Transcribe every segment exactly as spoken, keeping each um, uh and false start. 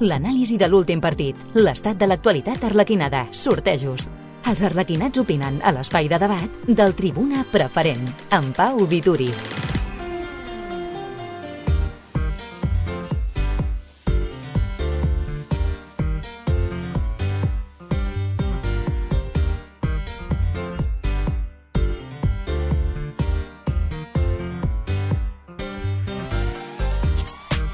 L'anàlisi de l'últim partit, l'estat de l'actualitat arlequinada, sortejos. Els arlequinats opinen a l'espai de debat del Tribuna Preferent, amb Pau Vituri.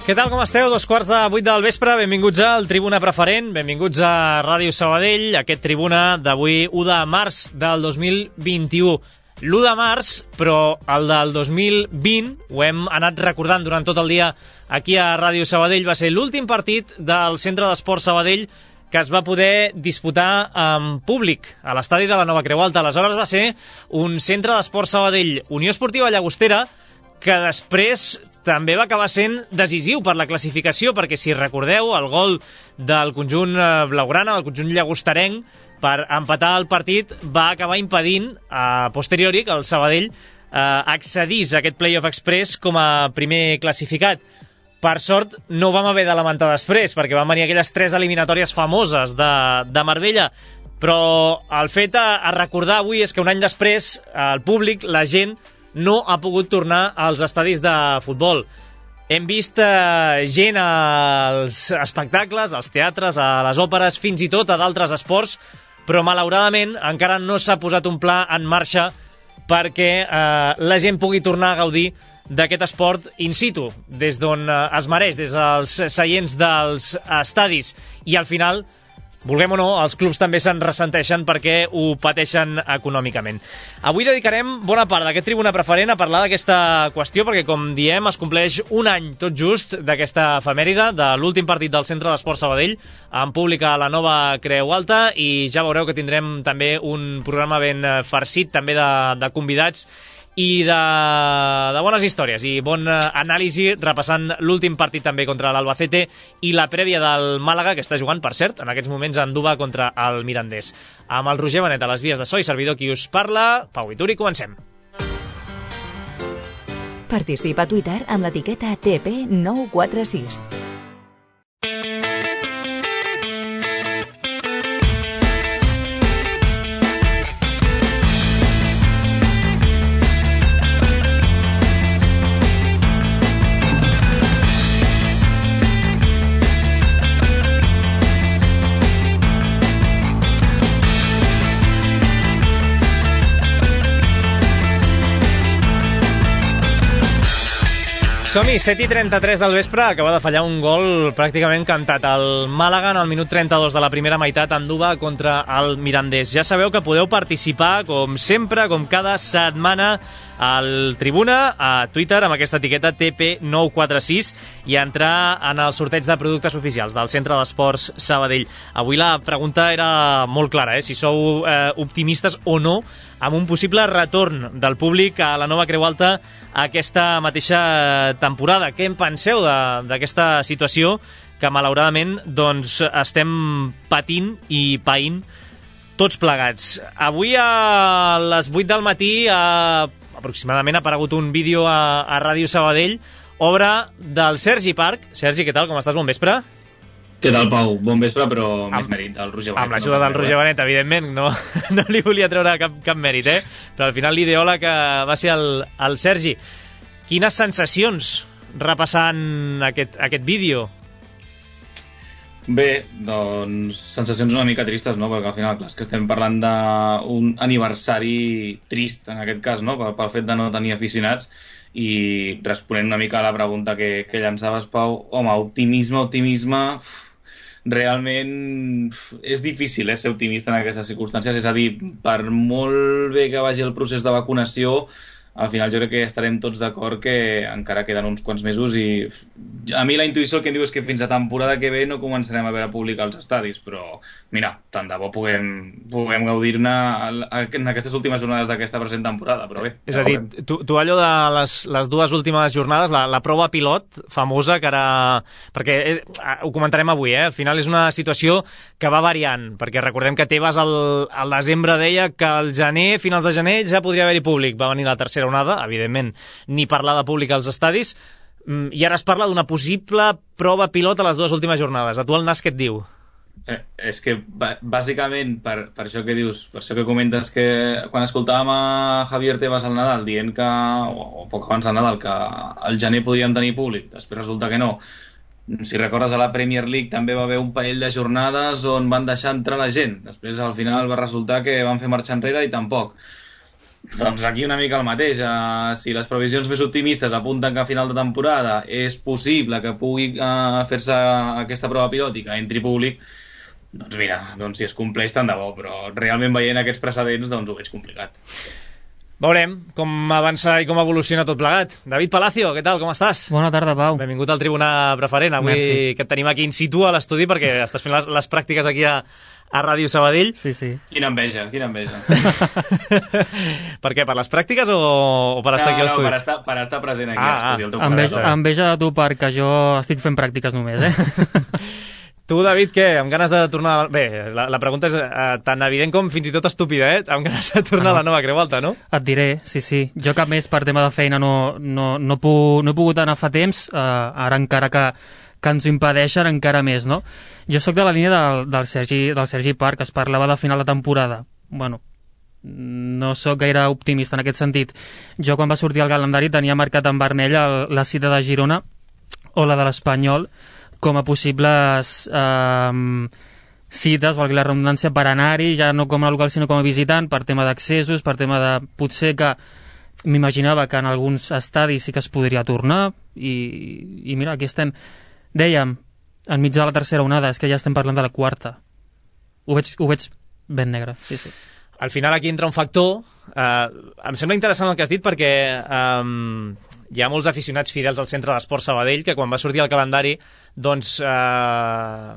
Què tal, com esteu? Dos quarts de vuit del vespre, benvinguts al Tribuna Preferent, benvinguts a Ràdio Sabadell, aquest Tribuna d'avui u de març del dos mil vint-i-u. l'u de març, però el del dos mil vint, ho hem anat recordant durant tot el dia aquí a Ràdio Sabadell, va ser l'últim partit del Centre d'Esport Sabadell que es va poder disputar en públic a l'estadi de la Nova Creu Alta. Aleshores va ser un Centre d'Esport Sabadell Unió Esportiva Llagostera, que després també va acabar sent decisiu per la classificació, perquè si recordeu, el gol del conjunt blaugrana, del conjunt llagosterenc, per empatar el partit, va acabar impedint a posteriori que el Sabadell eh, accedís a aquest Playoff Express com a primer classificat. Per sort, no ho vam haver de lamentar després, perquè van venir aquelles tres eliminatòries famoses de, de Marbella, però el fet a, a recordar avui és que un any després el públic, la gent, no ha pogut tornar als estadis de futbol. Hem vist eh, gent als espectacles, als teatres, a les òperes, fins i tot a d'altres esports, però malauradament encara no s'ha posat un pla en marxa perquè eh, la gent pugui tornar a gaudir d'aquest esport in situ, des d'on eh, es mereix, des dels seients dels estadis. I al final, vulguem o no, els clubs també se'n ressenteixen perquè ho pateixen econòmicament. Avui dedicarem bona part d'aquest Tribuna Preferent a parlar d'aquesta qüestió, perquè, com diem, es compleix un any tot just d'aquesta efemèride, de l'últim partit del Centre d'Esport Sabadell, en públic a la Nova Creu Alta, i ja veureu que tindrem també un programa ben farcit, també de, de convidats, i de, de bones històries i bon anàlisi, repassant l'últim partit també contra l'Albacete i la prèvia del Màlaga, que està jugant, per cert, en aquests moments a Andúba contra el Mirandés. Amb el Roger Benet a les vies de so i servidor qui us parla, Pau Vituri, comencem. Participa a Twitter amb l'etiqueta T P nou quatre sis. Som-hi, set i trenta-tres del vespre, acaba de fallar un gol pràcticament cantat. El Màlaga en el minut trenta-dos de la primera meitat, Andúba contra el Mirandés. Ja sabeu que podeu participar, com sempre, com cada setmana, al Tribuna, a Twitter, amb aquesta etiqueta T P nou quatre sis, i entrar en el sorteig de productes oficials del Centre d'Esports Sabadell. Avui la pregunta era molt clara, eh? Si sou eh, optimistes o no amb un possible retorn del públic a la Nova Creu Alta aquesta mateixa temporada. Què en penseu d'aquesta situació que malauradament doncs, estem patint i païnt tots plegats? Avui a les vuit del matí a, aproximadament ha aparegut un vídeo a, a Ràdio Sabadell, obra del Sergi Parc. Sergi, què tal? Com estàs? Bon vespre. Què tal, Pau? Bon vespre, però amb, més mèrit del Roger Benet. Amb l'ajuda no del Roger Benet, evidentment, no, no li volia treure cap, cap mèrit, eh? Però al final l'ideòleg va ser el, el Sergi. Quines sensacions repassant aquest, aquest vídeo? Bé, doncs sensacions una mica tristes, no? Perquè al final, clar, és que estem parlant d'un aniversari trist, en aquest cas, no? Pel, pel fet de no tenir aficionats. I responent una mica a la pregunta que, que llançaves, Pau, home, optimisme, optimisme... Uf, realment és difícil eh, ser optimista en aquestes circumstàncies, és a dir, per molt bé que vagi el procés de vacunació, al final jo crec que estarem tots d'acord que encara queden uns quants mesos i a mi la intuïció el que em diu és que fins a temporada que ve no començarem a veure públic als estadis, però mira, tant de bo puguem, puguem gaudir-ne en aquestes últimes jornades d'aquesta present temporada, però bé. És a dir, tu, tu allò de les, les dues últimes jornades, la, la prova pilot famosa que ara... perquè és, ho comentarem avui, eh? Al final és una situació que va variant, perquè recordem que Tebas al, al desembre deia que al gener, finals de gener, ja podria haver-hi públic. Va venir la tercera onada, evidentment, ni parlar de públic als estadis. I ara es parla d'una possible prova pilot a les dues últimes jornades. A tu el Nas què et diu? Eh, és que bàsicament per, per això que dius, per això que comentes que quan escoltàvem a Javier Tebas al Nadal dient que, o, o poc abans del Nadal, que al gener podríem tenir públic, després resulta que no. Si recordes, a la Premier League també va haver un parell de jornades on van deixar entrar la gent, després al final va resultar que van fer marxa enrere i tampoc. Doncs aquí una mica el mateix. Uh, si les previsions més optimistes apunten que a final de temporada és possible que pugui uh, fer-se aquesta prova pilòtica, entri públic, doncs mira, doncs si es compleix tant de bo, però realment veient aquests precedents doncs ho veig complicat. Veurem com avança i com evoluciona tot plegat. David Palacio, què tal, com estàs? Bona tarda, Pau. Benvingut al Tribuna Preferent, avui Merci. Que et tenim aquí in situ a l'estudi perquè estàs fent les, les pràctiques aquí a, a Ràdio Sabadell. Sí, sí. Quina enveja, quina enveja. Per què, per les pràctiques o, o per estar no, aquí a l'estudi? No, per estar, per estar present aquí ah, a l'estudi. Ah, enveja, enveja de tu perquè jo estic fent pràctiques només, eh? Tu, David, què? Amb ganes de tornar... Bé, la, la pregunta és uh, tan evident com fins i tot estúpida, eh? Amb ganes de tornar ah, no. a la nova Creu Alta, no? Et diré, sí, sí. Jo cap més per tema de feina no, no, no, puc, no he pogut anar fa temps, uh, ara encara que, que ens ho impedeixen encara més, no? Jo sóc de la línia del, del, Sergi, del Sergi Parc, es parlava de final de temporada. Bueno, no sóc gaire optimista en aquest sentit. Jo quan va sortir el calendari tenia marcat en vermell el, la cita de Girona o la de l'Espanyol com a possibles eh, cites, valgui la redundància, per anar-hi, ja no com a local sinó com a visitant, per tema d'accessos, per tema de... Potser que m'imaginava que en alguns estadis sí que es podria tornar, i, i mira, aquí estem. Dèiem, enmig de la tercera onada, és que ja estem parlant de la quarta. Ho veig, ho veig ben negre, sí, sí. Al final aquí entra un factor... Eh, em sembla interessant el que has dit perquè... Eh, hi ha molts aficionats fidels al Centre d'Esport Sabadell que quan va sortir el calendari doncs eh,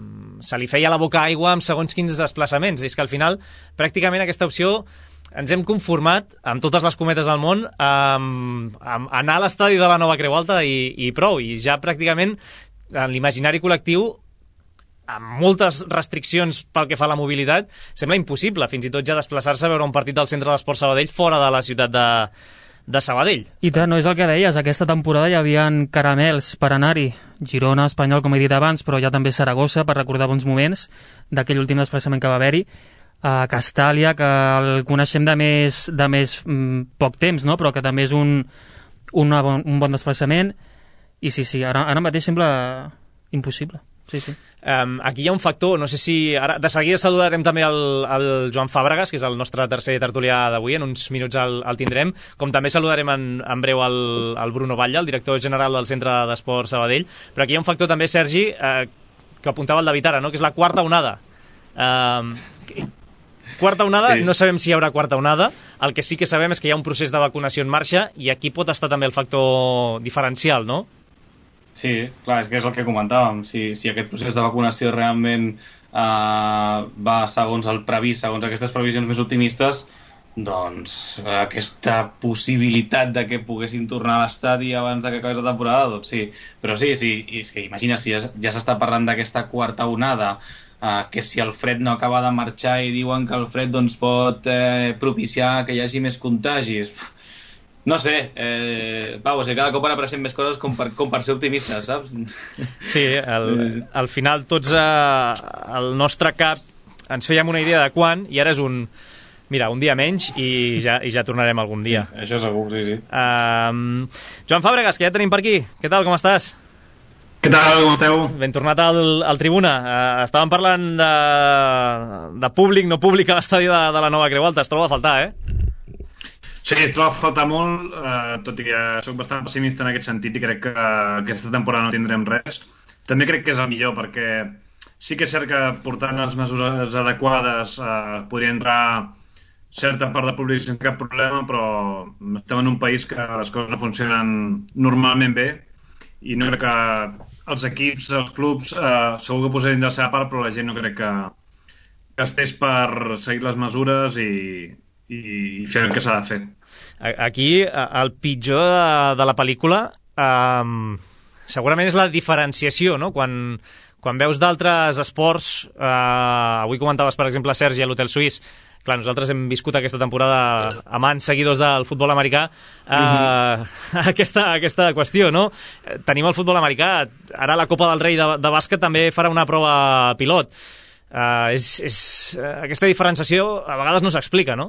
se li feia la boca aigua amb segons quins desplaçaments. I és que al final pràcticament aquesta opció ens hem conformat amb totes les cometes del món amb, amb anar a l'estadi de la nova Creu Alta i, i prou. I ja pràcticament en l'imaginari col·lectiu amb moltes restriccions pel que fa a la mobilitat sembla impossible fins i tot ja desplaçar-se a veure un partit del Centre d'Esport Sabadell fora de la ciutat de de Sabadell. I tant, no és el que deies, aquesta temporada hi havia caramels per anar-hi. Girona, Espanyol, com he dit abans, però ja també Saragossa, per recordar bons moments d'aquell últim desplaçament que va haver-hi. A Castàlia, que el coneixem de més, de més mm, poc temps, no? Però que també és un, una bon, un bon desplaçament. I sí, sí, ara, ara mateix sembla impossible. Sí, sí. Um, aquí hi ha un factor, no sé si... Ara, de seguida saludarem també el, el Joan Fàbregas, que és el nostre tercer tertulià d'avui, en uns minuts el, el tindrem, com també saludarem en, en breu el, el Bruno Batlle, el director general del Centre d'Esport Sabadell, però aquí hi ha un factor també, Sergi, eh, que apuntava el David ara, no? Que és la quarta onada. Um, quarta onada, sí. No sabem si hi haurà quarta onada, el que sí que sabem és que hi ha un procés de vacunació en marxa i aquí pot estar també el factor diferencial, no? Sí, clar, és que és el que comentàvem. Si, si aquest procés de vacunació realment eh, va segons el previst, segons aquestes previsions més optimistes, doncs aquesta possibilitat de que poguessin tornar a l'estadi abans de que acabés la temporada, doncs sí. Però sí, sí, és que imagina, si ja, ja s'està parlant d'aquesta quarta onada, eh, que si el fred no acaba de marxar i diuen que el fred doncs, pot eh, propiciar que hi hagi més contagis... No sé, eh, Pau, o sigui, cada cop ara apareixen més coses com per, com per ser optimistes, saps? Sí, al, al final tots eh, al nostre cap ens fèiem una idea de quan i ara és un... Mira, un dia menys i ja, i ja tornarem algun dia. Sí, això segur, sí, sí. Um, Joan Fàbregas, que ja tenim per aquí. Què tal, com estàs? Què tal, com esteu? Ben tornat al, al Tribuna. Uh, estàvem parlant de, de públic, no públic a l'estadi de, de la nova Creu Alta. Es troba a faltar, eh? Sí, es troba a faltar molt, eh, tot i que soc bastant pessimista en aquest sentit i crec que aquesta temporada no tindrem res. També crec que és el millor, perquè sí que és cert que portant les mesures adequades eh, podria entrar certa part del públic sense cap problema, però estem en un país que les coses no funcionen normalment bé i no crec que els equips, els clubs, eh, segur que posarien de la seva part, però la gent no crec que, que estés per seguir les mesures i... i fer el que s'ha de fer. Aquí, el pitjor de, de la pel·lícula um, segurament és la diferenciació, no? Quan, quan veus d'altres esports, eh, avui comentaves, per exemple, Sergi, a l'Hotel Suís, clar, nosaltres hem viscut aquesta temporada amants seguidors del futbol americà, eh, mm-hmm. aquesta, aquesta qüestió, no? Tenim el futbol americà, ara la Copa del Rei de, de bàsquet també farà una prova pilot. Eh, és, és, aquesta diferenciació a vegades no s'explica, no?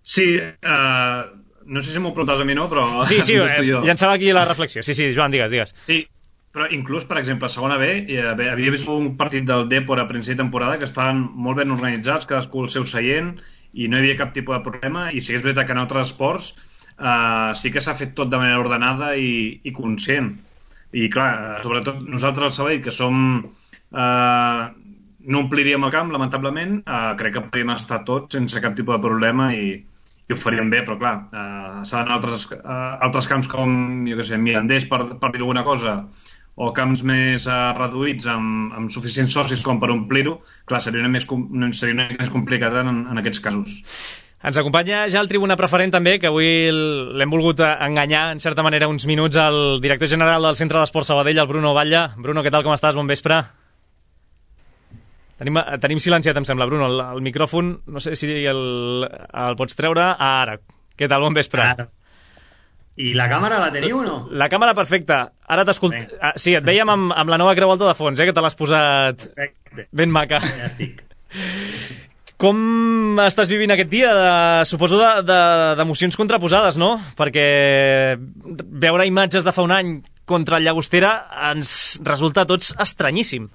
Sí, uh, no sé si m'ho preguntaves a mi, no, però... Sí, sí, eh, llançava aquí la reflexió. Sí, sí, Joan, digues, digues. Sí, però inclús, per exemple, a segona B, havia vist un partit del Depor a principi de temporada que estaven molt ben organitzats, cadascú el seu seient, i no hi havia cap tipus de problema, i sí que és veritat que en altres esports uh, sí que s'ha fet tot de manera ordenada i, i conscient. I clar, sobretot nosaltres al Sabadell, que som... Uh, no ompliríem el camp, lamentablement, uh, crec que podríem estar tots sense cap tipus de problema i, i ho faríem bé, però clar, uh, s'ha d'anar a altres, uh, altres camps com, jo què sé, Mirandés, per, per dir alguna cosa, o camps més uh, reduïts amb, amb suficients socis com per omplir-ho, clar, seria una més, seria una més complicat en, en aquests casos. Ens acompanya ja el tribuna preferent també, que avui l'hem volgut enganyar en certa manera uns minuts al director general del Centre d'Esport Sabadell, el Bruno Batlle. Bruno, què tal, com estàs? Bon vespre. Tenim, tenim silenciat, em sembla, Bruno, el, el micròfon, no sé si el, el pots treure. Ah, ara. Què tal? Bon vespre. Ara. I la càmera la teniu o no? La càmera perfecta. Ara t'escolt... Ah, sí, et veiem amb, amb la nova creu alta de fons, eh, que te l'has posat perfecte. Ben maca. Ja estic. Com estàs vivint aquest dia? De, suposo d'emocions de, de, contraposades, no? Perquè veure imatges de fa un any contra el Llagostera ens resulta a tots estranyíssim.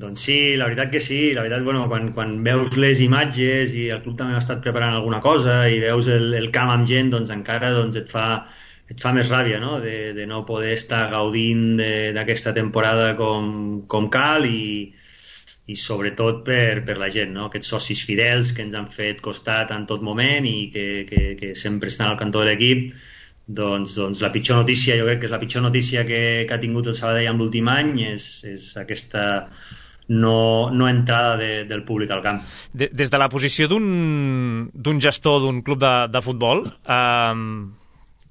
Doncs sí, la veritat que sí. La veritat, bueno, quan, quan veus les imatges i el club també ha estat preparant alguna cosa i veus el, el camp amb gent, doncs encara doncs et, fa, et fa més ràbia, no? De, de no poder estar gaudint d'aquesta temporada com, com cal i, i sobretot per, per la gent, no? Aquests socis fidels que ens han fet costat en tot moment i que, que, que sempre estan al cantó de l'equip. Doncs, doncs la pitjor notícia, jo crec que és la pitjor notícia que, que ha tingut el Sabadell en l'últim any és, és aquesta no, no entrada de, del públic al camp. De, des de la posició d'un gestor d'un club de, de futbol, eh,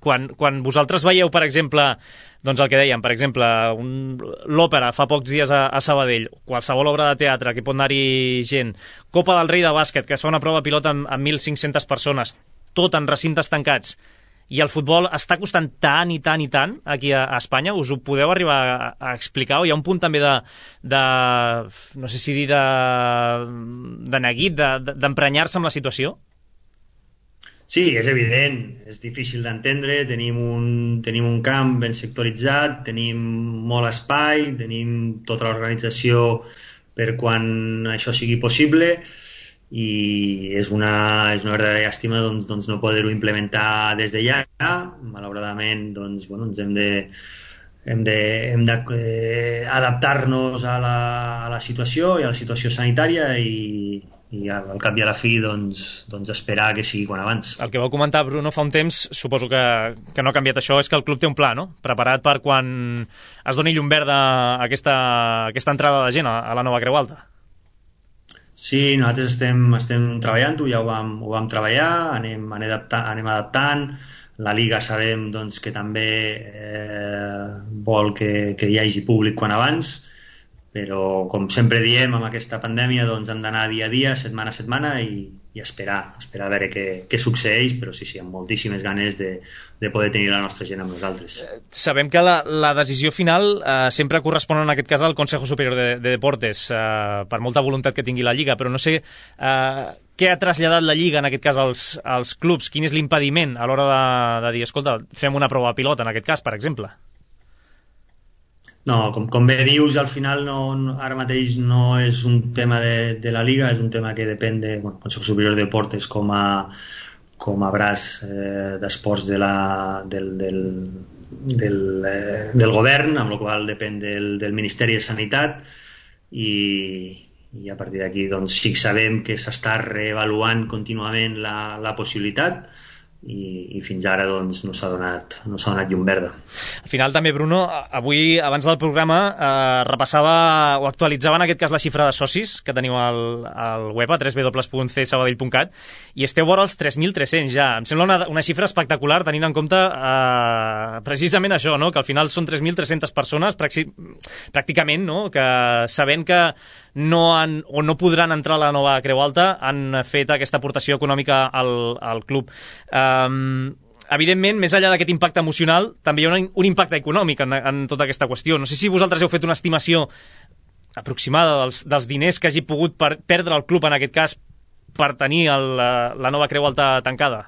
quan, quan vosaltres veieu, per exemple, doncs el que dèiem, per exemple, l'òpera fa pocs dies a, a Sabadell, qualsevol obra de teatre que pot anar-hi gent, Copa del Rei de bàsquet, que es fa una prova pilot amb, amb mil cinc-centes persones, tot en recintes tancats, i el futbol està costant tant i tant i tant aquí a, a Espanya, us ho podeu arribar a, a explicar? O hi ha un punt també de, de no sé si dir, de, de neguit, d'emprenyar-se de, amb la situació? Sí, és evident, és difícil d'entendre, tenim un, tenim un camp ben sectoritzat, tenim molt espai, tenim tota l'organització per quan això sigui possible, i és una, és una verdadera llàstima doncs, doncs no poder-ho implementar des de ja. Malauradament doncs, bueno, ens hem de hem de, hem de eh, adaptar-nos a la, a la situació i a la situació sanitària i, i al cap i a la fi doncs, doncs esperar que sigui quan abans. El que vau comentar, Bruno, fa un temps, suposo que, que no ha canviat això, és que el club té un pla, no? Preparat per quan es doni llum verda a aquesta, aquesta entrada de gent a, a la nova Creu Alta. Sí, nosaltres estem, estem treballant-ho, ja ho vam, ho vam treballar, anem, anem, adaptant, anem adaptant. La Liga sabem doncs, que també eh, vol que, que hi hagi públic quan abans, però com sempre diem, amb aquesta pandèmia doncs, hem d'anar dia a dia, setmana a setmana i, i esperar, esperar a veure què, què succeeix, però sí, sí, amb moltíssimes ganes de, de poder tenir la nostra gent amb nosaltres. Sabem que la, la decisió final eh, sempre correspon en aquest cas al Consejo Superior de, de Deportes, eh, per molta voluntat que tingui la Lliga, però no sé eh, què ha traslladat la Lliga en aquest cas als, als clubs, quin és l'impediment a l'hora de, de dir, escolta, fem una prova pilot en aquest cas, per exemple. No, com, com bé dius, al final no, no, ara mateix no és un tema de, de la Liga, és un tema que depèn de bueno, Consejo Superior de Deportes com a, com a braç eh, d'esports de la, del, del, del, eh, del govern, amb la qual depèn del, del Ministeri de Sanitat i, i a partir d'aquí doncs, sí que sabem que s'està reavaluant contínuament la, la possibilitat, i, i fins ara doncs, no s'ha donat, no s'ha donat llum verda. Al final també, Bruno, avui, abans del programa, eh, repassava o actualitzava en aquest cas la xifra de socis que teniu al, al web a w w w punt c sabadell punt cat i esteu vora els tres mil tres-cents ja. Em sembla una, una xifra espectacular tenint en compte eh, precisament això, no? Que al final són tres mil tres-centes persones pràcticament, no? Que sabent que no han, o no podran entrar a la nova Creu Alta, han fet aquesta aportació econòmica al, al club. Um, evidentment, més enllà d'aquest impacte emocional, també hi ha un, un impacte econòmic en, en tota aquesta qüestió. No sé si vosaltres heu fet una estimació aproximada dels, dels diners que hagi pogut per, perdre el club, en aquest cas, per tenir el, la, la nova Creu Alta tancada.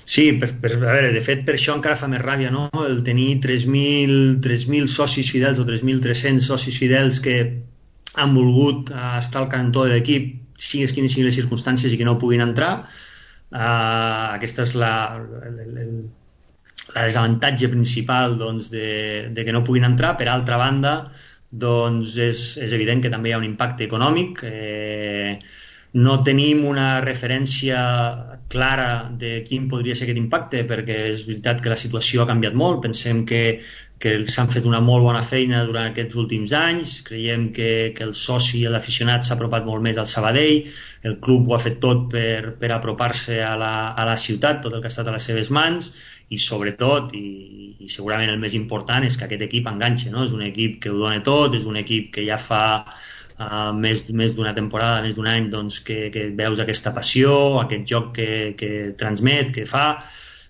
Sí, per, per, a veure, de fet, per això encara fa més ràbia, no? El tenir tres mil socis fidels o tres mil tres-cents socis fidels que han volgut uh, estar al cantó de l'equip, sigues quines siguin les circumstàncies i que no puguin entrar. Uh, aquesta és la, el, el, la desavantatge principal doncs, de, de que no puguin entrar. Per altra banda, doncs és, és evident que també hi ha un impacte econòmic. Eh, no tenim una referència clara de quin podria ser aquest impacte, perquè és veritat que la situació ha canviat molt. Pensem que, que s'han fet una molt bona feina durant aquests últims anys. Creiem que, que el soci i l'aficionat s'ha apropat molt més al Sabadell. El club ho ha fet tot per, per apropar-se a la, a la ciutat, tot el que ha estat a les seves mans, i sobretot, i, i segurament el més important, és que aquest equip enganxa, no? És un equip que ho dona tot, és un equip que ja fa Uh, més, més d'una temporada, més d'un any, doncs, que, que veus aquesta passió, aquest joc que, que transmet, que fa,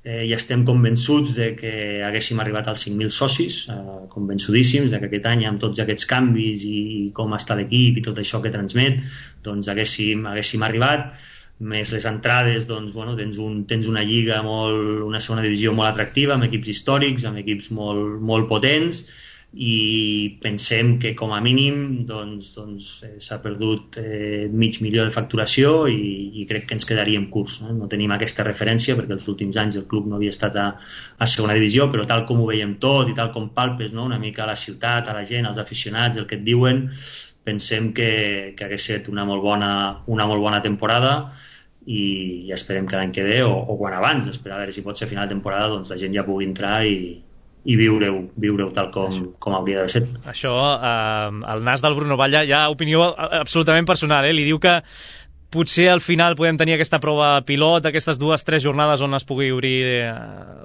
eh, i estem convençuts de que haguéssim arribat als cinc mil socis, uh, convençudíssims de que aquest any, amb tots aquests canvis i, i com està l'equip i tot això que transmet, doncs haguéssim, haguéssim arribat. Més les entrades, doncs, bueno, tens, un, tens una lliga, molt, una segona divisió molt atractiva, amb equips històrics, amb equips molt, molt potents, i pensem que com a mínim doncs, doncs, eh, s'ha perdut eh, mig milió de facturació i, i crec que ens quedaríem curts, no? No tenim aquesta referència perquè els últims anys el club no havia estat a, a segona divisió, però tal com ho veiem tot i tal com palpes, no? Una mica a la ciutat, a la gent, als aficionats, el que et diuen, pensem que, que hagués estat una molt bona, una molt bona temporada i, i esperem que l'any que ve o, o quan abans, esperar a veure si pot ser a final de temporada, doncs la gent ja pugui entrar i i viure-ho viure tal com, com hauria de ser. Això, eh, el nas del Bruno Batlle, hi ha opinió absolutament personal, eh? Li diu que potser al final podem tenir aquesta prova pilot, aquestes dues, tres jornades on es pugui obrir eh,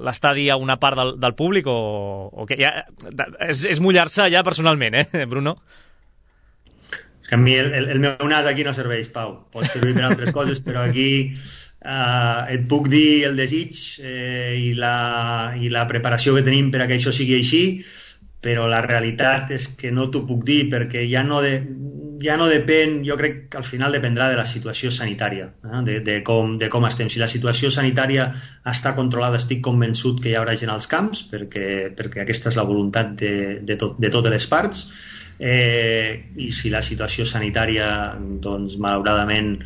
l'estadi a una part del, del públic, o, o que ja, és, és mullar-se ja personalment, eh, Bruno? És que a mi el, el, el meu nas aquí no serveix, Pau. Pot servir per altres coses, però aquí Uh, et puc dir el desig eh, i, la, i la preparació que tenim per a que això sigui així, però la realitat és que no t'ho puc dir perquè ja no, de, ja no depèn, jo crec que al final dependrà de la situació sanitària, eh, de, de, com, de com estem. Si la situació sanitària està controlada, estic convençut que hi haurà gent als camps, perquè, perquè aquesta és la voluntat de, de, tot, de totes les parts, eh, i si la situació sanitària, doncs, malauradament,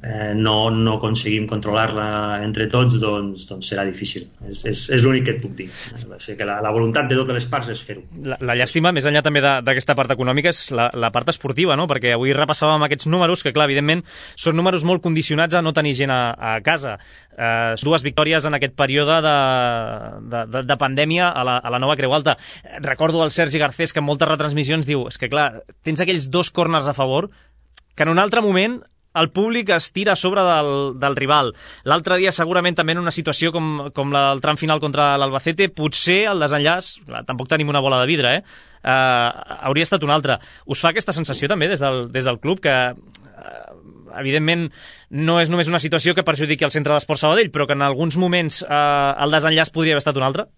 Eh, no, no aconseguim controlar-la entre tots, doncs, doncs serà difícil. És, és, és l'únic que et puc dir. Va ser que la, la voluntat de totes les parts és fer-ho. La, la llàstima, més enllà també d'aquesta part econòmica, és la, la part esportiva, no? Perquè avui repassàvem aquests números, que clar, evidentment són números molt condicionats a no tenir gent a, a casa. Eh, dues victòries en aquest període de, de, de, de pandèmia a la, a la nova Creu Alta. Recordo el Sergi Garcés, que en moltes retransmissions diu, és que clar, tens aquells dos corners a favor que en un altre moment el públic es tira a sobre del, del rival. L'altre dia, segurament, també en una situació com, com la del tram final contra l'Albacete, potser el desenllaç, clar, tampoc tenim una bola de vidre, eh? Uh, hauria estat un altre. Us fa aquesta sensació també des del, des del club que, uh, evidentment, no és només una situació que perjudiqui el Centre d'Esport Sabadell, però que en alguns moments uh, el desenllaç podria haver estat un altre?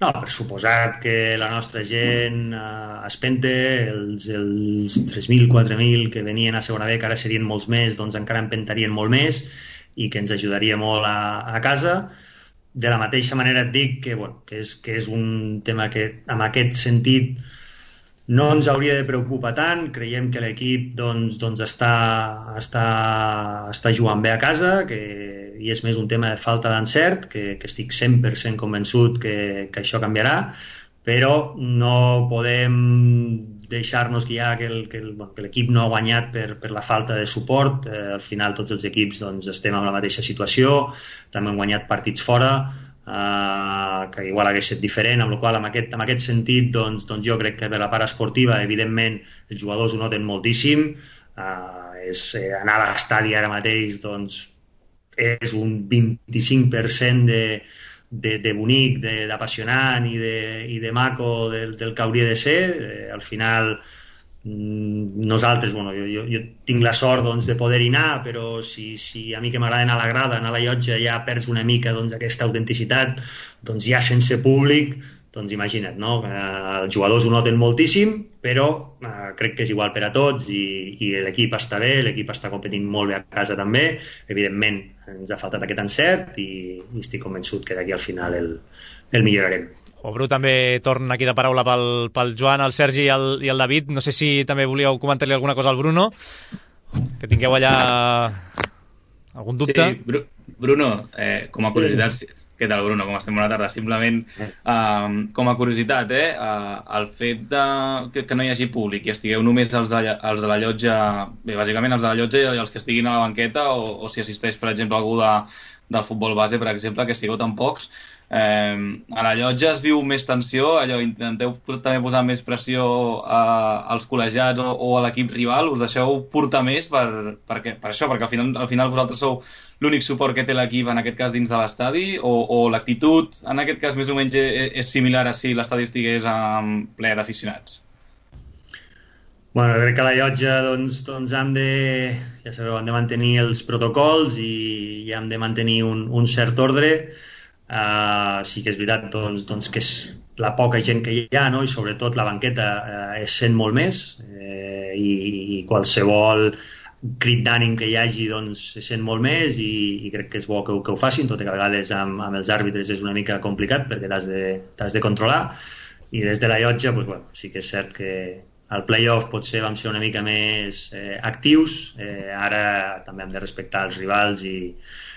No, per suposat que la nostra gent eh, es pente, els, els tres mil, quatre mil que venien a segona B, que ara serien molts més, doncs encara empentarien molt més i que ens ajudaria molt a, a casa. De la mateixa manera et dic que, bueno, que, és, que és un tema que en aquest sentit no ens hauria de preocupar tant. Creiem que l'equip doncs, doncs està, està, està jugant bé a casa, que, i és més un tema de falta d'encert, que, que estic cent per cent convençut que, que això canviarà, però no podem deixar-nos guiar que, el, que, el, bueno, que l'equip no ha guanyat per, per la falta de suport. Eh, al final tots els equips doncs, estem en la mateixa situació, també hem guanyat partits fora, Uh, que igual hagués estat diferent, amb la qual en aquest, en aquest sentit doncs, doncs jo crec que per la part esportiva evidentment els jugadors ho noten moltíssim. Uh, és, eh, anar a l'estadi ara mateix doncs, és un vint-i-cinc per cent de, de, de bonic, d'apassionant i, de, i de maco del, del que hauria de ser. Eh, al final nosaltres, bueno, jo, jo, jo tinc la sort doncs, de poder-hi anar, però si, si a mi que m'agrada anar a la grada, anar a la llotja, ja perds una mica doncs, aquesta autenticitat, doncs ja sense públic, doncs imagina't, no? Eh, els jugadors ho noten moltíssim, però eh, crec que és igual per a tots i, i l'equip està bé, l'equip està competint molt bé a casa també, evidentment ens ha faltat aquest encert i, i estic convençut que d'aquí al final el, el millorarem. O Bru també torna aquí de paraula pel, pel Joan, el Sergi i el, i el David. No sé si també volíeu comentar-li alguna cosa al Bruno, que tingueu allà algun dubte. Sí, Bruno, eh, com a curiositat, què tal, Bruno? Com estem? Bona tarda. Simplement, eh, com a curiositat, eh, eh, el fet de, que, que no hi hagi públic i estigueu només els de, els de la llotja, bé, bàsicament els de la llotja i els que estiguin a la banqueta, o, o si assisteix, per exemple, algú de, del futbol base, per exemple, que sigueu tan pocs, Eh, a la llotja es viu més tensió, allò, intenteu també posar més pressió a, als col·legiats o, o a l'equip rival, us deixeu portar més per, per, per això, perquè al final, al final vosaltres sou l'únic suport que té l'equip, en aquest cas dins de l'estadi, o, o l'actitud en aquest cas més o menys és, és similar a si l'estadi estigués en ple d'aficionats? Bueno, crec que a la llotja doncs, doncs hem de, ja sabeu, hem de mantenir els protocols i, i hem de mantenir un, un cert ordre. Uh, sí que és veritat doncs, doncs que és la poca gent que hi ha, no? I sobretot la banqueta uh, es sent molt més, eh, i, i qualsevol crit d'ànim que hi hagi doncs, es sent molt més i, i crec que és bo que, que ho facin, tot i que a vegades amb, amb els àrbitres és una mica complicat perquè t'has de, t'has de controlar, i des de la llotja doncs, bueno, sí que és cert que al play-off potser vam ser una mica més eh, actius, eh, ara també hem de respectar els rivals i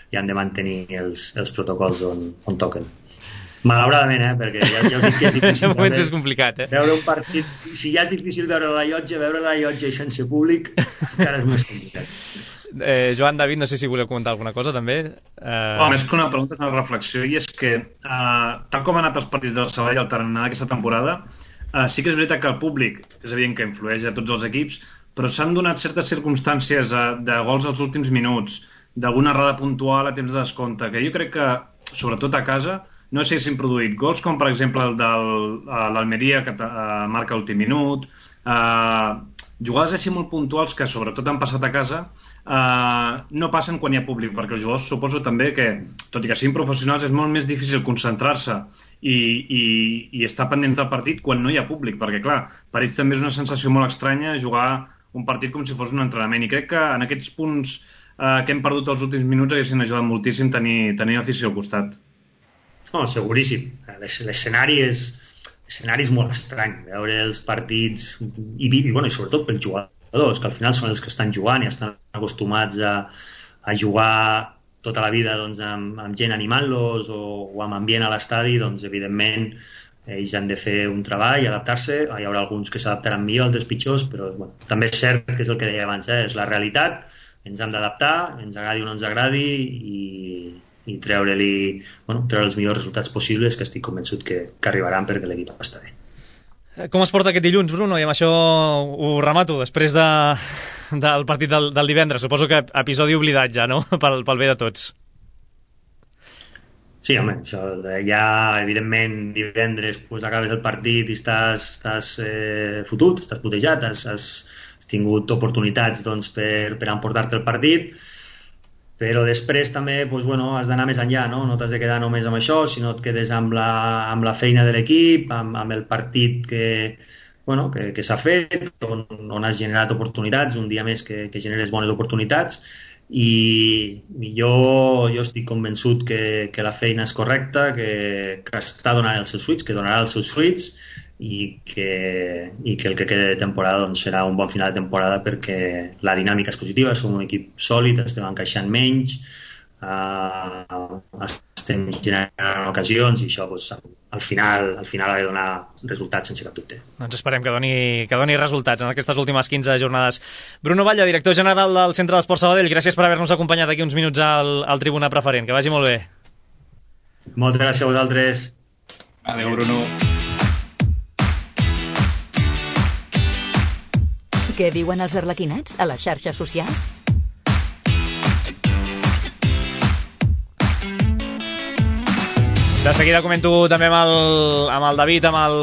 i han de mantenir els, els protocols on, on toquen. Malauradament, eh? Perquè ja, ja us dic que és difícil veure, és complicat, eh? Veure un partit, si, si ja és difícil veure la llotja, veure la llotja i sense públic encara és més complicat. Eh, Joan, David, no sé si voleu comentar alguna cosa també. Eh... Oh, més que una pregunta és una reflexió, i és que eh, tal com han anat els partits del Sabadell al Tarannà aquesta temporada, eh, sí que és veritat que el públic és evident que influeix a tots els equips, però s'han donat certes circumstàncies de, de gols als últims minuts, d'alguna errada puntual a temps de descompte, que jo crec que, sobretot a casa, no sé si s'han produït gols com, per exemple, el de l'Almeria, que uh, marca l'últim minut, uh, jugades així molt puntuals que, sobretot, han passat a casa, uh, no passen quan hi ha públic, perquè els jugadors suposo també que, tot i que siguin professionals, és molt més difícil concentrar-se i, i, i estar pendents del partit quan no hi ha públic, perquè, clar, per ells també és una sensació molt estranya jugar un partit com si fos un entrenament, i crec que en aquests punts Uh, que hem perdut els últims minuts haguessin ajudat moltíssim tenir, tenir afició al costat. No, seguríssim. L'escenari és, l'escenari és molt estrany. Veure els partits i, i, bueno, i sobretot pels jugadors, que al final són els que estan jugant i estan acostumats a, a jugar tota la vida doncs, amb, amb gent animant-los o, o amb ambient a l'estadi, doncs evidentment ells han de fer un treball i adaptar-se. Hi haurà alguns que s'adaptaran millor, altres pitjors, però bueno, també és cert que és el que deia abans, eh? És la realitat. Ens hem d'adaptar, ens agradi o no ens agradi, i, i treure-li, bueno, treure els millors resultats possibles, que estic convençut que, que arribaran perquè l'equip està bé. Com es porta aquest dilluns, Bruno? I amb això ho remato, després de, del partit del, del divendres. Suposo que episodi oblidat ja, no? Pel, pel bé de tots. Sí, home, això ja, evidentment, divendres pues, acabes el partit i estàs, estàs eh, fotut, estàs putejat, has, has tingut oportunitats doncs, per, per emportar-te el partit, però després també doncs, bueno, has d'anar més enllà, no? No t'has de quedar només amb això, sinó et quedes amb la, amb la feina de l'equip, amb, amb el partit que, bueno, que, que s'ha fet, on, on has generat oportunitats, un dia més que, que generes bones oportunitats, i, i jo, jo estic convençut que, que la feina és correcta, que, que està donant els seus fruits, que donarà els seus fruits, i que, i que el que queda de temporada doncs, serà un bon final de temporada, perquè la dinàmica és positiva, som un equip sòlid, estem encaixant menys, uh, estem generant ocasions i això doncs, al final al final ha de donar resultats sense cap dubte. Doncs esperem que doni, que doni resultats en aquestes últimes quinze jornades. Bruno Batlle, director general del Centre d'Esport Sabadell, gràcies per haver-nos acompanyat aquí uns minuts al, al Tribuna Preferent. Que vagi molt bé. Moltes gràcies a vosaltres. Adéu, Bruno. Què diuen els arlequinats a les xarxes socials? De seguida comento també amb el, amb el David, amb el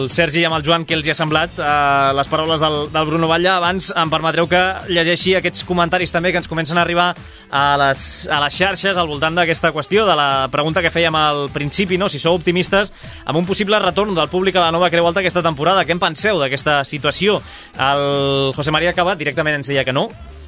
Sergi i amb el Joan què els hi ha semblat eh, les paraules del, del Bruno Batlle. Abans em permetreu que llegeixi aquests comentaris també que ens comencen a arribar a les, a les xarxes al voltant d'aquesta qüestió, de la pregunta que fèiem al principi, no? Si sou optimistes amb un possible retorn del públic a la nova Creu Alta aquesta temporada. Què en penseu d'aquesta situació? El José María Cabat directament ens deia que no,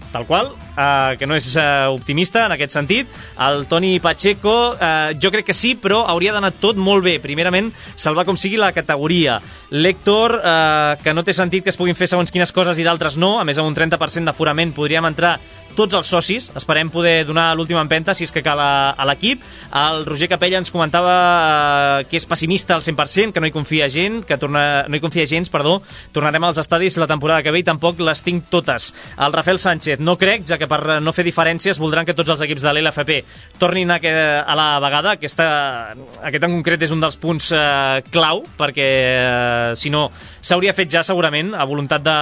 tal qual, eh, que no és eh, optimista en aquest sentit. El Toni Pacheco, eh, jo crec que sí, però hauria d'anar tot molt bé. Primerament, salvar com sigui la categoria. L'Héctor, eh, que no té sentit que es puguin fer segons quines coses i d'altres no, a més amb un trenta per cent d'aforament podríem entrar tots els socis, esperem poder donar l'última empenta si és que cal a, a l'equip. El Roger Capella ens comentava eh, que és pessimista al cent per cent, que no hi confia gent, que torna, no hi confia gens, perdó, tornarem als estadis la temporada que ve i tampoc les tinc totes. El Rafael Sánchez, no crec, ja que per no fer diferències voldran que tots els equips de l'L F P tornin a, que, a la vegada. Aquesta, aquest en concret és un dels punts eh, clau, perquè eh, si no s'hauria fet ja segurament a voluntat de,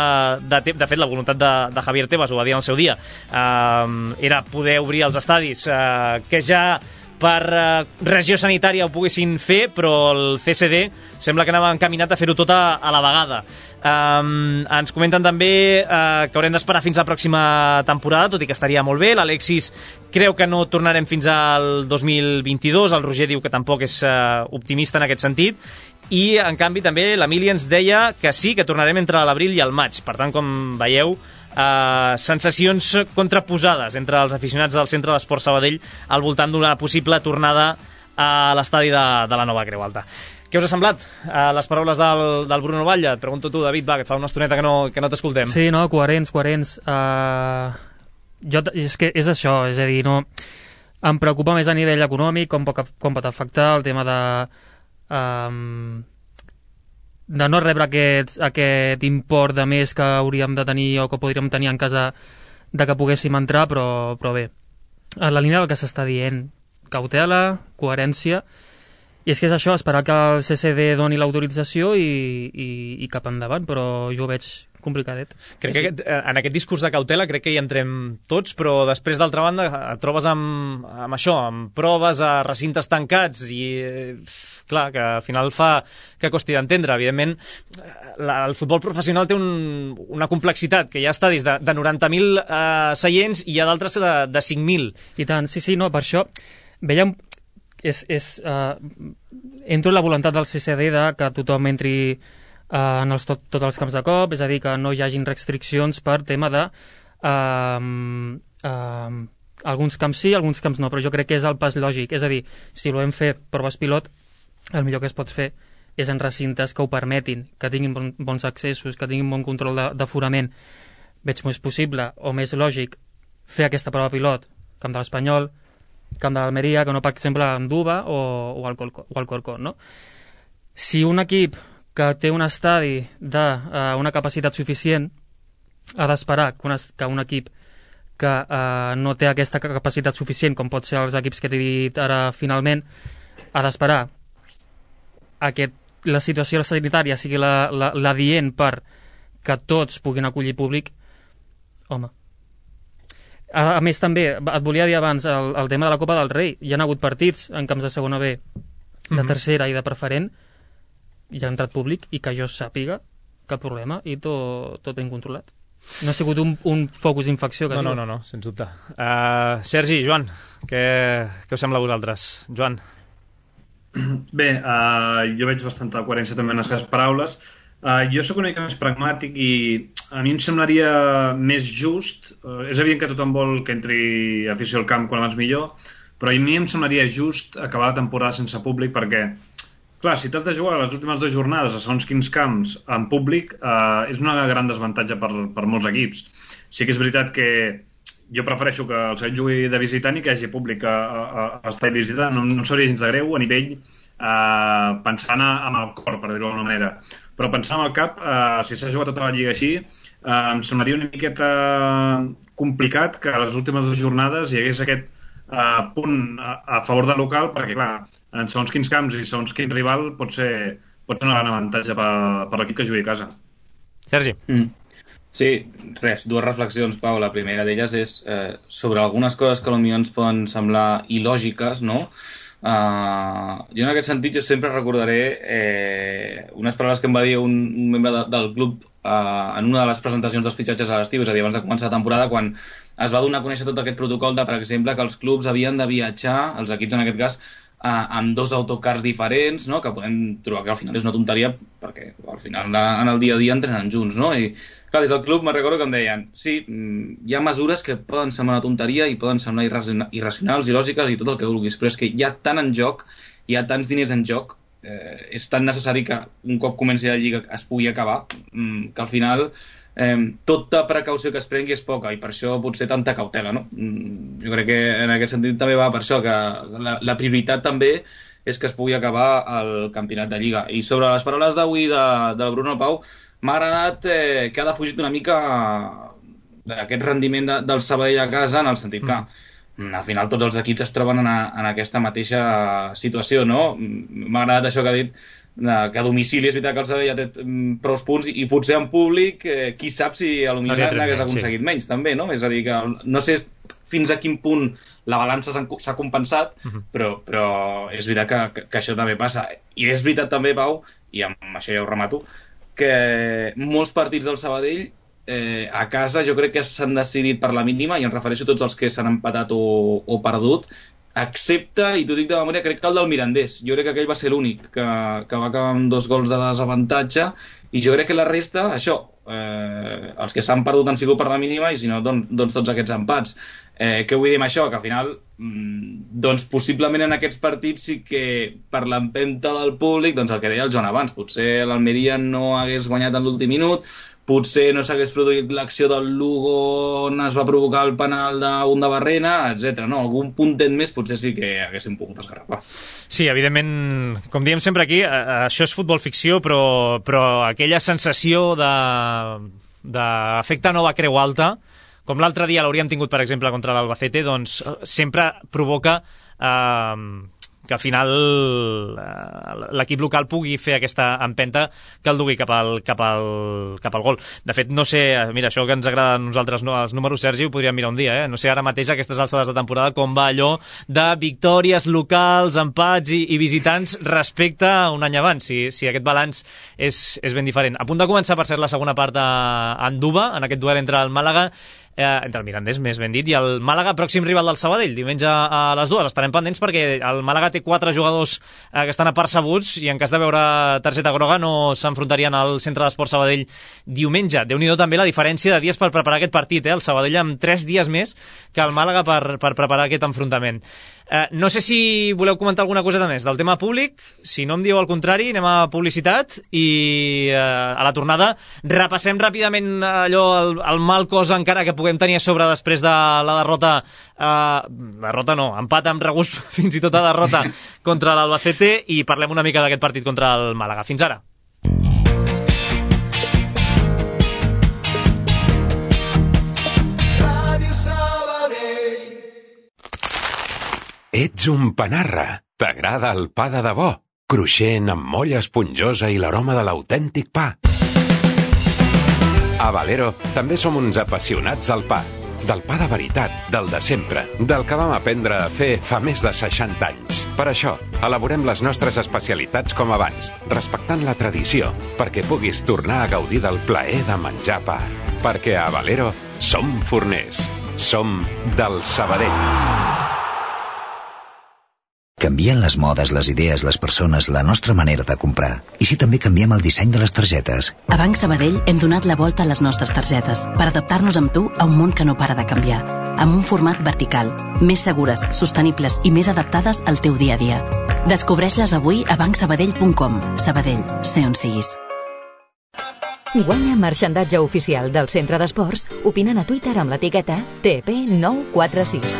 de, de fet la voluntat de, de Javier Tebas, ho va dir en el seu dia, eh, era poder obrir els estadis eh, que ja per eh, regió sanitària ho poguessin fer, però el C C D sembla que anava encaminat a fer-ho tot a, a la vegada. Um, ens comenten també uh, que haurem d'esperar fins a la pròxima temporada, tot i que estaria molt bé. L'Alexis creu que no tornarem fins al dos mil vint-i-dos, el Roger diu que tampoc és uh, optimista en aquest sentit, i en canvi també l'Emili ens deia que sí, que tornarem entre l'abril i el maig. Per tant, com veieu, Uh, sensacions contraposades entre els aficionats del Centre d'Esport Sabadell al voltant d'una possible tornada a l'estadi de, de la nova Creu Alta. Què us ha semblat uh, les paraules del, del Bruno Batlle? Et pregunto tu, David, va, que fa una estoneta que no, que no t'escoltem. Sí, no, coherents, coherents. Uh, jo, és que és això, és a dir, no, em preocupa més a nivell econòmic com pot, com pot afectar el tema de... Um, de no rebre aquest, aquest import de més que hauríem de tenir o que podríem tenir en cas de, de que poguéssim entrar, però, però bé, en la línia del que s'està dient, cautela, coherència, i és que és això, esperar que el C C D doni l'autorització i, i, i cap endavant, però jo ho veig complicadet. Crec que aquest, en aquest discurs de cautela crec que hi entrem tots, però després d'altra banda et trobes amb, amb això, amb proves a recintes tancats i clar, que al final fa que costi d'entendre. Evidentment, la, el futbol professional té un, una complexitat, que hi ha estadis de, de noranta mil eh, seients i hi ha d'altres de, de cinc mil. I tant, sí, sí, no, per això veiem, és, és, uh, entro en la voluntat del C C D de que tothom entri Uh, en els tot, tots els camps de cop, és a dir, que no hi hagin restriccions per tema de uh, uh, alguns camps sí, alguns camps no, però jo crec que és el pas lògic, és a dir, si volem fer proves pilot, el millor que es pot fer és en recintes que ho permetin, que tinguin bon, bons accessos, que tinguin bon control d'aforament. Veig més possible o més lògic fer aquesta prova pilot camp de l'Espanyol, camp de l'Almeria, que no, per exemple, en Duba o, o al Corcón, no? Si un equip que té un estadi d'una uh, capacitat suficient ha d'esperar que, que un equip que uh, no té aquesta capacitat suficient, com pot ser els equips que t'he dit ara finalment, ha d'esperar a que la situació sanitària sigui la, la, la dient per que tots puguin acollir públic. Home. A, a més, també, et volia dir abans el, el tema de la Copa del Rei. Hi ha hagut partits en camps de segona B, de mm-hmm. tercera i de preferent, hi ha entrat públic i que jo sàpiga cap problema i tot, tot ben controlat. No ha sigut un, un focus d'infecció. No, no, no, no, sens dubte. Uh, Sergi, Joan, què, què us sembla a vosaltres? Joan. Bé, uh, jo veig bastanta coherència també en les seves paraules. Uh, jo sóc una mica més pragmàtic i a mi em semblaria més just, uh, és evident que tothom vol que entri afició al camp quan abans millor, però a mi em semblaria just acabar la temporada sense públic perquè clar, si t'has de jugar les últimes dues jornades a segons quins camps en públic, eh, és una gran desavantatge per, per molts equips. Sí que és veritat que jo prefereixo que el Sabadell jugui de visitant i que hi hagi públic a, a, a estar visitant. No, no em sabria gens de greu a nivell eh, pensant amb el cor, per dir-ho d'alguna manera. Però pensant amb el cap, eh, si s'ha jugat tota la lliga així, eh, em semblaria una miqueta complicat que a les últimes dues jornades hi hagués aquest eh, punt a, a favor del local, perquè clar, en segons quins camps i segons quin rival pot ser, pot ser un gran avantatge per, per l'equip que jugui a casa. Sergi. Mm. Sí, res, dues reflexions, Pau. La primera d'elles és eh, sobre algunes coses que potser ens poden semblar il·lògiques, no? Uh, jo en aquest sentit jo sempre recordaré eh, unes paraules que em va dir un, un membre de, del club uh, en una de les presentacions dels fitxatges a l'estiu, és a dir, abans de començar la temporada, quan es va donar a conèixer tot aquest protocol de, per exemple, que els clubs havien de viatjar, els equips en aquest cas, Uh, amb dos autocars diferents, no? Que podem trobar que al final és una tonteria perquè al final en el dia a dia entrenen junts, no? I clar, des del club me'n recordo que em deien sí, hi ha mesures que poden semblar una tonteria i poden semblar irracionals, il·lògiques i tot el que vulguis, però és que hi ha tant en joc, hi ha tants diners en joc, eh, és tan necessari que un cop comenci la lliga es pugui acabar, que al final Eh, tota precaució que es prengui és poca i per això potser tanta cautela, no? Jo crec que en aquest sentit també va per això, que la, la prioritat també és que es pugui acabar el campionat de Lliga. I sobre les paraules d'avui de, del Bruno Pau, m'ha agradat eh, que ha defugit una mica d'aquest rendiment de, del Sabadell a casa, en el sentit que mm. al final tots els equips es troben en, a, en aquesta mateixa situació, no? M'ha agradat això que ha dit, que a domicili és veritat que el Sabadell ja té prou punts i potser en públic eh, qui sap si potser n'hagués aconseguit sí. menys també, no? És a dir, que no sé fins a quin punt la balança s'ha compensat, uh-huh. però, però és veritat que, que, que això també passa. I és veritat també, Pau, i amb això ja ho remato, que molts partits del Sabadell eh, a casa jo crec que s'han decidit per la mínima, i em refereixo a tots els que s'han empatat o, o perdut, excepte, i t'ho dic de memòria, crec que el del Mirandés. Jo crec que aquell va ser l'únic que, que va acabar amb dos gols de desavantatge, i jo crec que la resta, això, eh, els que s'han perdut han sigut per la mínima, i si no, doncs, doncs tots aquests empats. Eh, què vull dir amb això? Que al final, doncs possiblement en aquests partits sí que per l'empenta del públic, doncs el que deia el Joan abans, potser l'Almeria no hagués guanyat en l'últim minut, potser no s'hagués produït l'acció del Lugo on es va provocar el penal d'un de Barrena, etcètera. No, algun puntet més potser sí que haguéssim pogut esgarrapar. Sí, evidentment, com diem sempre aquí, això és futbol ficció, però, però aquella sensació de d'efecte nova creu alta, com l'altre dia l'hauríem tingut, per exemple, contra l'Albacete, doncs sempre provoca eh, que al final eh, l'equip local pugui fer aquesta empenta que el dugui cap al, cap al, cap al gol. De fet, no sé, mira, això que ens agrada a nosaltres, no, els números, Sergi, ho podríem mirar un dia, eh? No sé ara mateix, a aquestes alçades de temporada, com va allò de victòries locals, empats i, i visitants respecte a un any abans, si, si aquest balanç és, és ben diferent. A punt de començar, per ser la segona part a Anduba, en aquest duel entre el Màlaga Eh, entre el Mirandés, més ben dit, i el Màlaga, pròxim rival del Sabadell, diumenge a les dues. Estarem pendents perquè el Màlaga té quatre jugadors eh, que estan apercebuts i en cas de veure targeta groga no s'enfrontarien al Centre d'Esport Sabadell diumenge. Déu-n'hi-do també la diferència de dies per preparar aquest partit, eh? El Sabadell amb tres dies més que el Màlaga per, per preparar aquest enfrontament. Eh, no sé si voleu comentar alguna cosa de més del tema públic. Si no em dieu el contrari, anem a publicitat i eh, a la tornada repassem ràpidament allò, el, el mal cos encara que puguem tenir a sobre després de la derrota, eh, derrota no, empat amb regust fins i tot a derrota contra l'Albacete, i parlem una mica d'aquest partit contra el Màlaga. Fins ara. Ets un panarra. T'agrada el pa de debò? Cruixent, amb molla esponjosa i l'aroma de l'autèntic pa. A Valero també som uns apassionats del pa. Del pa de veritat, del de sempre, del que vam aprendre a fer fa més de seixanta anys. Per això, elaborem les nostres especialitats com abans, respectant la tradició, perquè puguis tornar a gaudir del plaer de menjar pa. Perquè a Valero som forners. Som del Sabadell. Canvien les modes, les idees, les persones, la nostra manera de comprar. I si també canviem el disseny de les targetes? A Banc Sabadell hem donat la volta a les nostres targetes per adaptar-nos amb tu a un món que no para de canviar. Amb un format vertical, més segures, sostenibles i més adaptades al teu dia a dia. Descobreix-les avui a banc sabadell punt com. Sabadell, sé on siguis. Guanya marxandatge oficial del Centre d'Esports opinant a Twitter amb l'etiqueta T P nou quatre sis.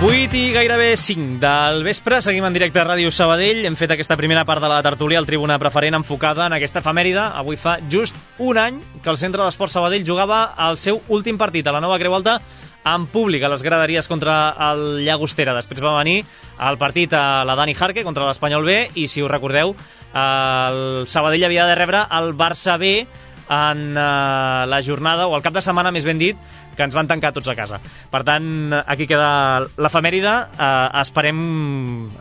vuit i gairebé cinc del vespre, seguim en directe a Ràdio Sabadell. Hem fet aquesta primera part de la tertúlia al Tribuna Preferent enfocada en aquesta efemèride. Avui fa just un any que el Centre d'Esports Sabadell jugava el seu últim partit a la Nova Creu Alta en públic a les graderies contra el Llagostera. Després va venir el partit a la Dani Jarque contra l'Espanyol B i, si us recordeu, el Sabadell havia de rebre el Barça B en uh, la jornada, o el cap de setmana, més ben dit, que ens van tancar tots a casa. Per tant, aquí queda l'efemèride. Uh, esperem,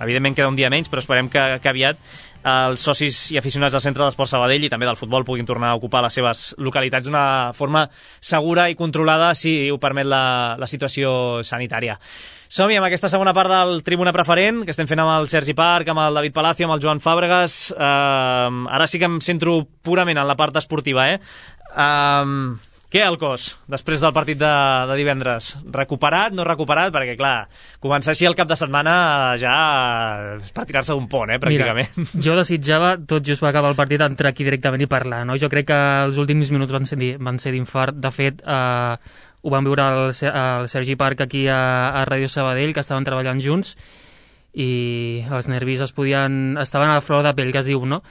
evidentment queda un dia menys, però esperem que, que aviat els socis i aficionats del Centre d'Esports Sabadell i també del futbol puguin tornar a ocupar les seves localitats d'una forma segura i controlada, si ho permet la, la situació sanitària. Som-hi amb aquesta segona part del Tribuna Preferent, que estem fent amb el Sergi Parc, amb el David Palacio, amb el Joan Fàbregas. Uh, ara sí que em centro purament en la part esportiva, eh? Uh, què, el cos, després del partit de, de divendres? Recuperat, no recuperat? Perquè, clar, començar així el cap de setmana ja és per tirar-se d'un pont, eh, pràcticament. Mira, jo desitjava, tot just va acabar el partit, entrar aquí directament i parlar, no? Jo crec que els últims minuts van ser, van ser d'infart. De fet, eh, ho vam veure al, al Sergi Parc aquí a, a Ràdio Sabadell, que estaven treballant junts, i els nervis es podien, estaven a la flor de pell, que es diu, no?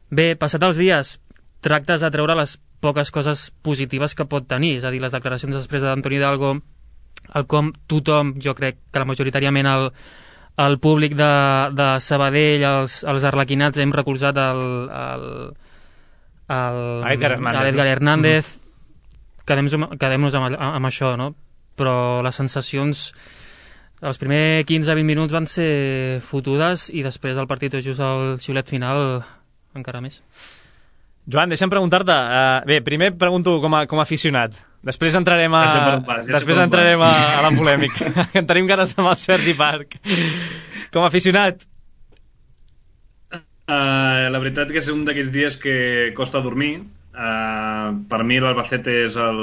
Bé, passat els dies, tractes de treure les poques coses positives que pot tenir, és a dir, les declaracions després d'Antoni Hidalgo, el com tothom, jo crec que la majoritàriament el, el públic de, de Sabadell, els, els arlequinats, hem recolzat el, el, el, Edgar Hernández, Edgar Hernández. No? Quedem-nos quedem amb, amb això, no? Però les sensacions, els primers quinze a vint minuts van ser fotudes i després del partit, just al xiulet final, encara més. Joan, deixa'm preguntar-te. Uh, bé, primer pregunto com a, com a aficionat. Després entrarem a, pas, després entrarem a, a la polèmica. En tenim ganes amb el Sergi Parc. Com a aficionat. Uh, la veritat que és un d'aquells dies que costa dormir. Uh, per mi l'Albacete és el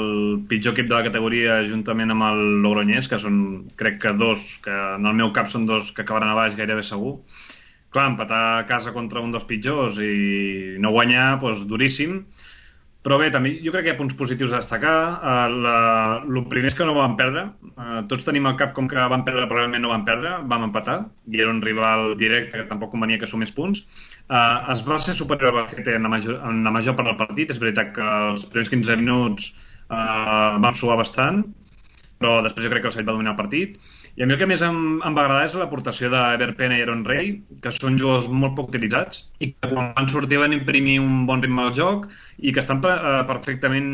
pitjor equip de la categoria juntament amb el Logroñés, que són, crec que dos, que en el meu cap són dos que acabaran a baix gairebé segur. Clar, empatar a casa contra un dels pitjors i no guanyar, doncs duríssim. Però bé, també jo crec que hi ha punts positius a destacar. Uh, la, el primer és que no vam perdre. Uh, tots tenim al cap com que vam perdre, però realment no vam perdre. Vam empatar, i era un rival directe que tampoc convenia que sumés punts. Uh, es va ser superior al Albacete en la major, en la major part del partit. És veritat que els primers quinze minuts uh, vam suar bastant, però després jo crec que el Sabadell va dominar el partit. I a mi el que més em, em va agradar és l'aportació d'Ever Pena i Aaron Rey, que són jugadors molt poc utilitzats i que quan van sortir van imprimir un bon ritme al joc i que estan eh, perfectament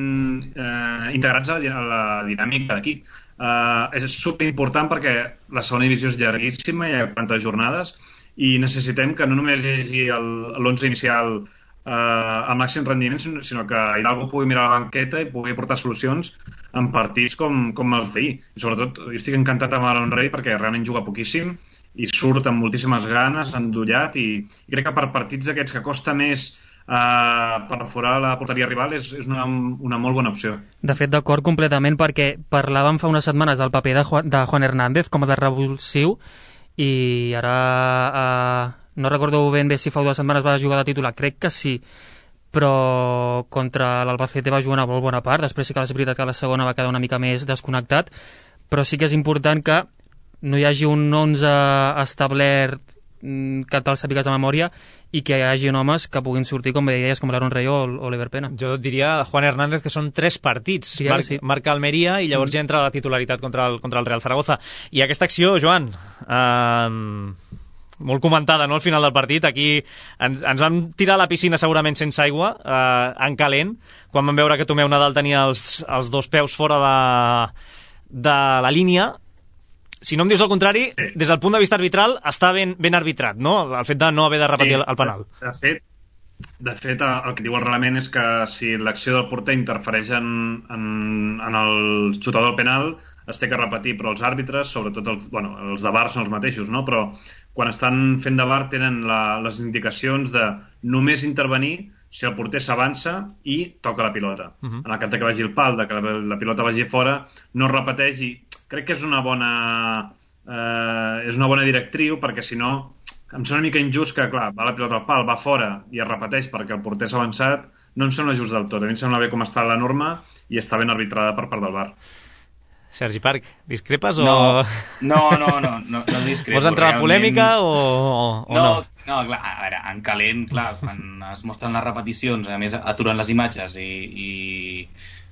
eh, integrats a la, a la dinàmica d'aquí. Eh, és superimportant perquè la segona divisió és llarguíssima, hi ha quaranta jornades, i necessitem que no només hi hagi l'onze inicial eh, al màxim rendiment, sinó que Hidalgo pugui mirar la banqueta i pugui aportar solucions en partits com, com els d'ahir. I sobretot, jo estic encantat amb Aaron Rey perquè realment juga poquíssim i surt amb moltíssimes ganes, endollat, i, i crec que per partits d'aquests que costa més uh, perforar la porteria rival és, és una, una molt bona opció. De fet, d'acord completament, perquè parlàvem fa unes setmanes del paper de Juan, de Juan Hernández com a de revulsiu, i ara uh, no recordo ben bé si fa dues setmanes va jugar de titular, crec que sí, però contra l'Albacete va jugar una molt bona part. Després sí que és veritat que la segona va quedar una mica més desconnectat, però sí que és important que no hi hagi un onze establert que te'l sàpigues de memòria i que hi hagi homes que puguin sortir, com bé deies, com l'Aaron Rey o l'Ever Pena. Jo diria Juan Hernández que són tres partits. Sí, Mar sí. Marca Almeria i llavors mm. ja entra la titularitat contra el, contra el Real Zaragoza. I aquesta acció, Joan... Uh... molt comentada, no?, al final del partit. Aquí ens, ens vam tirar a la piscina segurament sense aigua, eh, en calent, quan vam veure que Tomeu Nadal tenia els, els dos peus fora de, de la línia. Si no em dius el contrari, des del punt de vista arbitral està ben, ben arbitrat, no?, el fet de no haver de repetir sí, el, el penal. De fet, de fet, el que diu el reglament és que si l'acció del porter interfereix en, en, en el xutador del penal, es té que repetir, però els àrbitres, sobretot els, bueno, els de V A R són els mateixos, no? Però quan estan fent de V A R tenen la, les indicacions de només intervenir si el porter s'avança i toca la pilota. Uh-huh. En el cas de que vagi el pal, de que la, la pilota vagi fora, no es repeteix, i crec que és una bona, eh, és una bona directriu, perquè si no em sembla una mica injust que, clar, va la pilota al pal, va fora i es repeteix perquè el porter s'ha avançat. No em sembla just del tot. A mi em sembla bé com està la norma i està ben arbitrada per part del V A R. Sergi Parc, discrepes o...? No, no, no, no, no, no discrepo. Vols entrar a polèmica o, o no, no? No, clar, a veure, en calent, clar, quan es mostren les repeticions, a més aturen les imatges i, i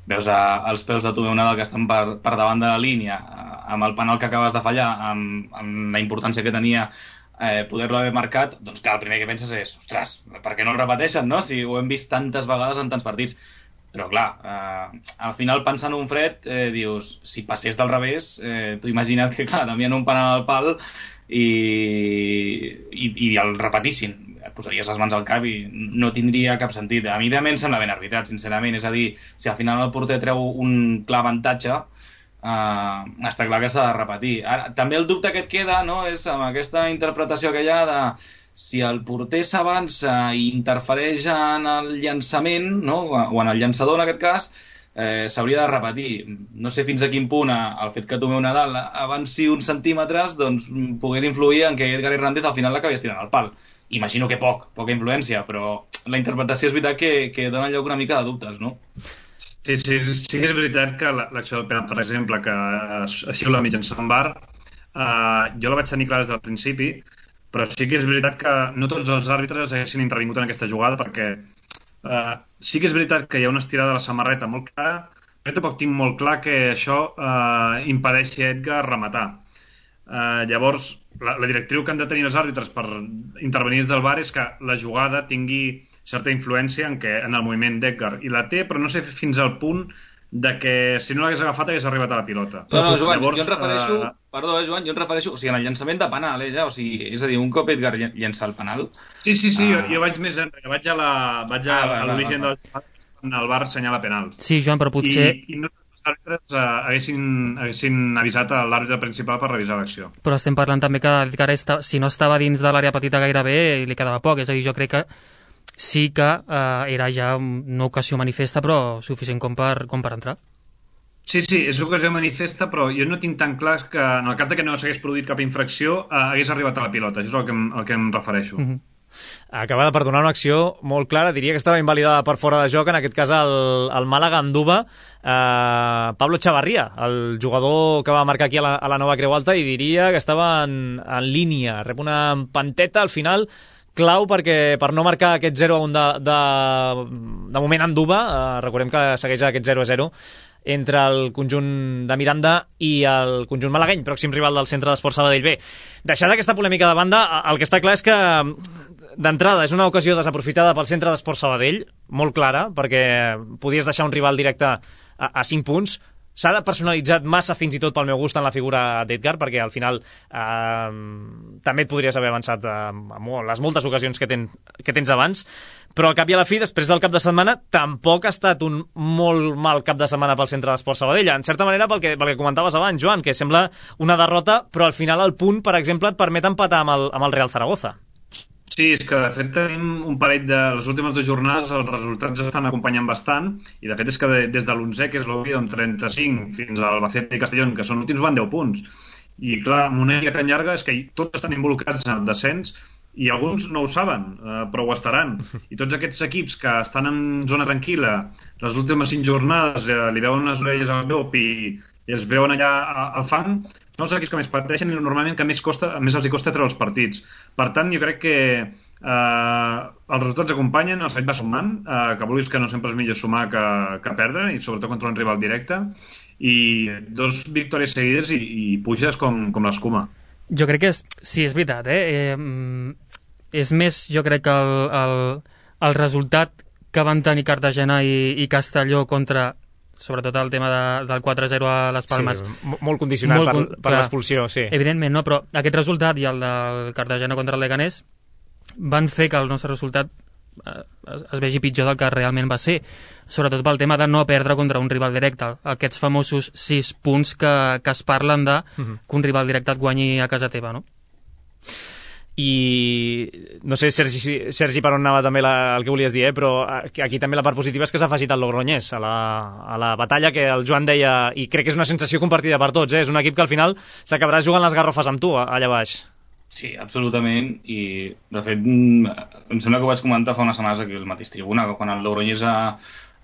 veus a, els peus de Tomeu Nadal que estan per, per davant de la línia, amb el penal que acabes de fallar, amb, amb la importància que tenia Eh, poder-lo haver marcat, doncs clar, el primer que penses és, ostres, per què no el repeteixen, no? Si ho hem vist tantes vegades en tants partits. Però clar, eh, al final pensant un fred, eh, dius, si passés del revés, eh, tu imagina't que clar, t'envien un penal al pal i, i, i el repetissin. Et posaries les mans al cap i no tindria cap sentit. A mi també em sembla ben arbitrat, sincerament. És a dir, si al final el porter treu un clar avantatge, Uh, està clar que s'ha de repetir. Ara, també el dubte que et queda, no, és amb aquesta interpretació que hi ha de si el porter s'avança i interfereix en el llançament, no, o en el llançador en aquest cas, eh, s'hauria de repetir. No sé fins a quin punt el fet que Tomeu Nadal avanci uns centímetres doncs pogués influir en que Edgar Hernández al final l'acabés tirant al pal. Imagino que poc, poca influència, però la interpretació és veritat que, que dona lloc una mica de dubtes, no? Sí, sí, sí que és veritat que l'acció del penal, per exemple, que ha xiula mitjançant V A R, eh, jo la vaig tenir clara des del principi, però sí que és veritat que no tots els àrbitres haguessin intervingut en aquesta jugada, perquè eh, sí que és veritat que hi ha una estirada de la samarreta molt clara, però tampoc tinc molt clar que això eh, impedeixi a Edgar rematar. Eh, llavors, la, la directriu que han de tenir els àrbitres per intervenir des del V A R és que la jugada tingui certa influència en, que, en el moviment d'Edgar, i la té, però no sé fins al punt de que si no l'hagués agafat hagués arribat a la pilota. No, no, Joan, Llavors, jo em refereixo, uh... perdó, eh, Joan, jo em refereixo, o sigui, en el llançament de penal, eh, ja, o sigui, és a dir, un cop Edgar llença el penal... Sí, sí, sí, uh... jo, jo vaig més enrere, vaig a la, vaig a, ah, a l'origen del quan el V A R assenyala penal. Sí, Joan, però potser... I, i no els àrbitres uh, haguessin, haguessin avisat a l'àrbitre principal per revisar l'acció. Però estem parlant també que Edgar, esta, si no estava dins de l'àrea petita gairebé, li quedava poc, és a dir, jo crec que sí que eh, era ja una ocasió manifesta, però suficient com per, com per entrar. Sí, sí, és ocasió manifesta, però jo no tinc tan clar que en el cas de que no s'hagués produït cap infracció eh, hagués arribat a la pilota, això és el que em, el que em refereixo. Uh-huh. Acaba de perdonar una acció molt clara, diria que estava invalidada per fora de joc, en aquest cas el, el Màlaga enduva eh, Pablo Chavarría, el jugador que va marcar aquí a la, a la Nova Creu Alta, i diria que estava en, en línia, rep una empanteta al final clau perquè per no marcar aquest zero a un de, de, de moment enduva, eh, recordem que segueix aquest zero a zero entre el conjunt de Miranda i el conjunt malagueny, pròxim rival del Centre d'Esports Sabadell. Bé, deixada aquesta polèmica de banda, el que està clar és que d'entrada és una ocasió desaprofitada pel Centre d'Esports Sabadell, molt clara, perquè podies deixar un rival directe a, a cinc punts. S'ha de personalitzat massa, fins i tot pel meu gust, en la figura d'Edgar, perquè al final eh, també et podries haver avançat eh, amb les moltes ocasions que, ten, que tens abans, però al cap i a la fi, després del cap de setmana, tampoc ha estat un molt mal cap de setmana pel Centre d'Esports Sabadell, en certa manera pel que, pel que comentaves abans, Joan, que sembla una derrota, però al final el punt, per exemple, et permet empatar amb el, amb el Real Zaragoza. Sí, és que de fet tenim un parell de les últimes dues jornades, els resultats estan acompanyant bastant, i de fet és que de, des de l'onzè, que és l'Oviedo, amb trenta-cinc, fins al Albacete i Castellón, que són últims, van deu punts. I clar, amb una lliga tan llarga és que tots estan involucrats en el descens, i alguns no ho saben, eh, però ho estaran. I tots aquests equips que estan en zona tranquil·la, les últimes cinc jornades eh, li veuen les orelles al llop i, i els veuen allà al fang, són els equips que més pateixen i normalment que més, costa, més els hi costa treure els partits. Per tant, jo crec que eh, els resultats acompanyen, el fet va sumant, eh, que vulguis que no sempre és millor sumar que, que perdre, i sobretot contra un rival directe, i dos victòries seguides i, i puges com, com l'escuma. Jo crec que és, sí, és veritat, eh? eh és més, jo crec que el, el, el resultat que van tenir Cartagena i, i Castelló contra, sobretot el tema de, del quatre a zero a les Palmes. Sí, molt condicionat molt, per, per l'expulsió, sí. Evidentment, no, però aquest resultat i el del Cartagena contra el Leganés van fer que el nostre resultat es, es vegi pitjor del que realment va ser, sobretot pel tema de no perdre contra un rival directe, aquests famosos sis punts que, que es parlen de uh-huh. que un rival directe et guanyi a casa teva, no? I no sé, Sergi, Sergi per on anava també la, el que volies dir, eh? Però aquí també la part positiva és que s'ha afegit el Logroñés a la, a la batalla, que el Joan deia, i crec que és una sensació compartida per tots, eh? És un equip que al final s'acabarà jugant les garrofes amb tu allà baix. Sí, absolutament, i de fet em sembla que ho vaig comentar fa unes setmanes aquí al mateix Tribuna, quan el Logroñés a,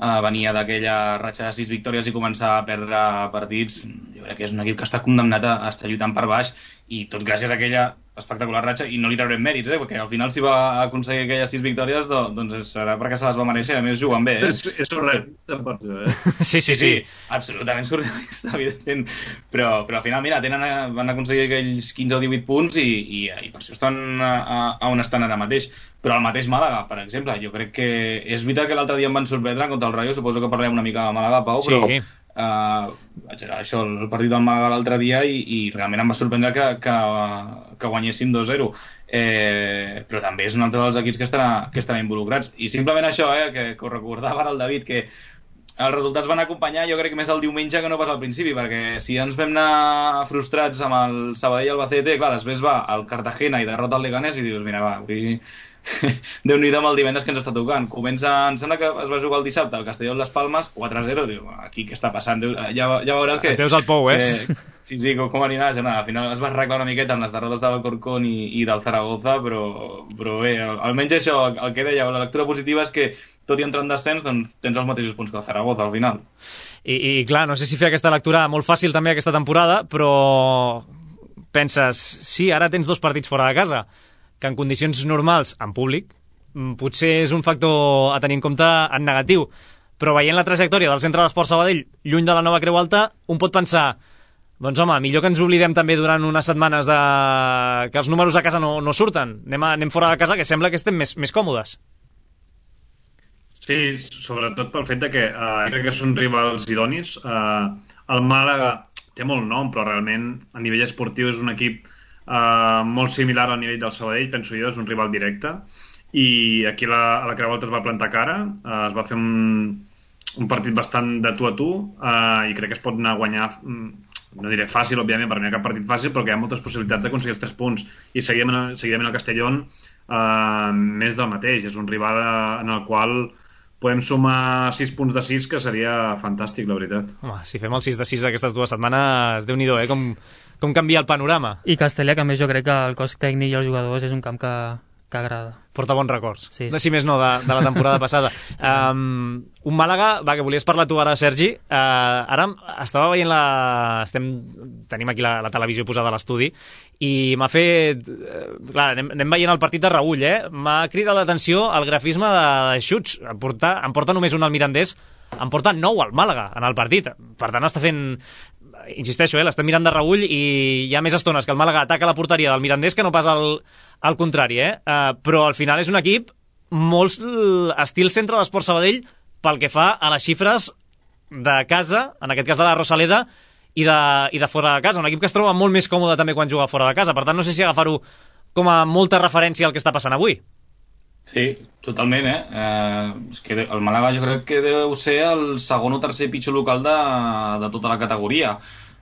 a venia d'aquella ratxa de sis victòries i començava a perdre partits. Jo crec que és un equip que està condemnat a estar lluitant per baix, i tot gràcies a aquella espectacular ratxa, i no li traurem mèrits, eh? Perquè al final si va aconseguir aquelles sis victòries, doncs serà perquè se les va mereixer, a més juguen bé, eh? És, és surrealista, per això, eh? Sí, sí, sí, sí, absolutament surrealista, evidentment, però, però al final, mira, tenen, van aconseguir aquells quinze o divuit punts i, i, i per això estan a, a on estan ara mateix. Però el mateix Màlaga, per exemple, jo crec que és veritat que l'altre dia em van sorprendre contra el Rayo, suposo que parlem una mica de Màlaga, Pau, però sí. Uh, vaig anar això, el partit del Màlaga l'altre dia i, i realment em va sorprendre que, que, que guanyessin dos zero, eh, però també és un altre dels equips que estarà, que estarà involucrats, i simplement això, eh, que, que ho recordava ara el David, que els resultats van acompanyar jo crec que més el diumenge que no pas al principi, perquè si ens vam anar frustrats amb el Sabadell Albacete, clar, després va el Cartagena i derrota el Leganés i dius, mira, va, avui Déu-n'hi-do amb el divendres que ens està tocant. Comença, em sembla que es va jugar el dissabte al Castelló Les Palmes, quatre zero, diu, aquí què està passant? Ja, ja veuràs que... Et veus al pou, eh? eh sí, sí, com, com anirà, ja, al final es va arreglar una miqueta amb les derrotes de l'Alcorcón i, i del Zaragoza, però, però bé, almenys això, el que deia, la lectura positiva és que tot i entrar en descens, doncs tens els mateixos punts que el Zaragoza al final. I, i clar, no sé si fer aquesta lectura molt fàcil també aquesta temporada, però penses, sí, ara tens dos partits fora de casa, que en condicions normals, en públic, potser és un factor a tenir en compte en negatiu, però veient la trajectòria del Centre d'Esport Sabadell lluny de la nova Creu Alta, un pot pensar, doncs home, millor que ens oblidem també durant unes setmanes de... que els números a casa no, no surten, anem, a, anem fora de casa, que sembla que estem més, més còmodes. Sí, sobretot pel fet de que uh, crec que són rivals idonis. Uh, el Màlaga té molt nom, però realment a nivell esportiu és un equip Uh, molt similar al nivell del Sabadell, penso jo, és un rival directe, i aquí la, a la Creu Alta es va plantar cara, uh, es va fer un, un partit bastant de tu a tu, uh, i crec que es pot anar a guanyar, no diré fàcil, òbviament, perquè no hi ha cap partit fàcil, però que hi ha moltes possibilitats d'aconseguir els tres punts, i seguidament, seguidament el Castellón uh, més del mateix, és un rival en el qual podem sumar sis punts de sis, que seria fantàstic, la veritat. Home, si fem el sis de sis aquestes dues setmanes, Déu-n'hi-do, eh? Com, com canvia el panorama. I Castellà, que a més jo crec que el cos tècnic i els jugadors és un camp que, que agrada. Porta bons records. Sí, sí. No, si més no, de, de la temporada passada. Um, un Màlaga, va, que volies parlar tu ara, Sergi. Uh, ara estava veient la... Estem... Tenim aquí la, la televisió posada a l'estudi i m'ha fet... Clar, anem, anem veient el partit de Raül, eh? M'ha cridat l'atenció el grafisme de, de xuts. Em porta, em porta només un al Mirandés, em porta nou al Màlaga en el partit. Per tant, està fent... Insisteixo, eh? L'estem mirant de reüll i hi ha més estones que el Màlaga ataca la porteria del Mirandés que no pas al, al contrari, eh? Uh, però al final és un equip molt estil Centre d'Esport Sabadell pel que fa a les xifres de casa, en aquest cas de la Rosaleda, i de, i de fora de casa. Un equip que es troba molt més còmode també quan juga fora de casa. Per tant, no sé si agafar-ho com a molta referència al que està passant avui. Sí, totalment, eh? eh? És que el Màlaga jo crec que deu ser el segon o tercer pitjor local de, de tota la categoria.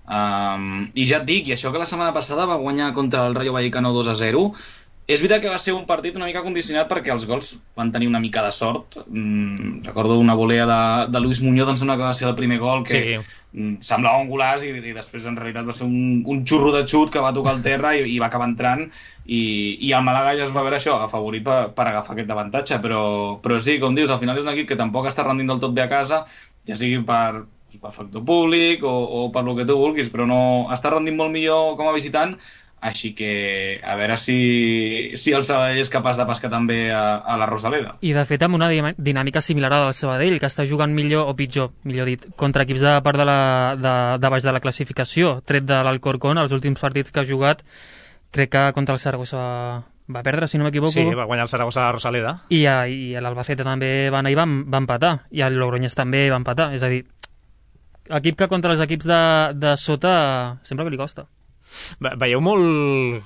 Um, I ja et dic, i això que la setmana passada va guanyar contra el Rayo Vallecano dos a zero, és veritat que va ser un partit una mica condicionat perquè els gols van tenir una mica de sort. Mm, recordo una volea de, de Luis Muñoz, em sembla que va ser el primer gol, que sí. mm, semblava un golaç i, i després en realitat va ser un, un xurro de xut que va tocar el terra i, i va acabar entrant, i, i el Màlaga ja es va veure això, afavorit per, per agafar aquest avantatge, però, però sí, com dius, al final és un equip que tampoc està rendint del tot bé a casa, ja sigui per, per factor públic o, o per lo que tu vulguis, però no està rendint molt millor com a visitant. Així que a veure si, si el Sabadell és capaç de pescar també a, a la Rosaleda. I de fet amb una dinàmica similar a del Sabadell, que està jugant millor, o pitjor, millor dit, contra equips de part de, la, de, de baix de la classificació, tret de l'Alcorcón, els últims partits que ha jugat, crec que contra el Saragossa va, va perdre, si no m'equivoco. Sí, va guanyar el Saragossa a la Rosaleda. I, a, i l'Albacete també va anar i va, va empatar, i el Logroñés també va empatar, és a dir, equip que contra els equips de, de sota sempre que li costa. Veieu molt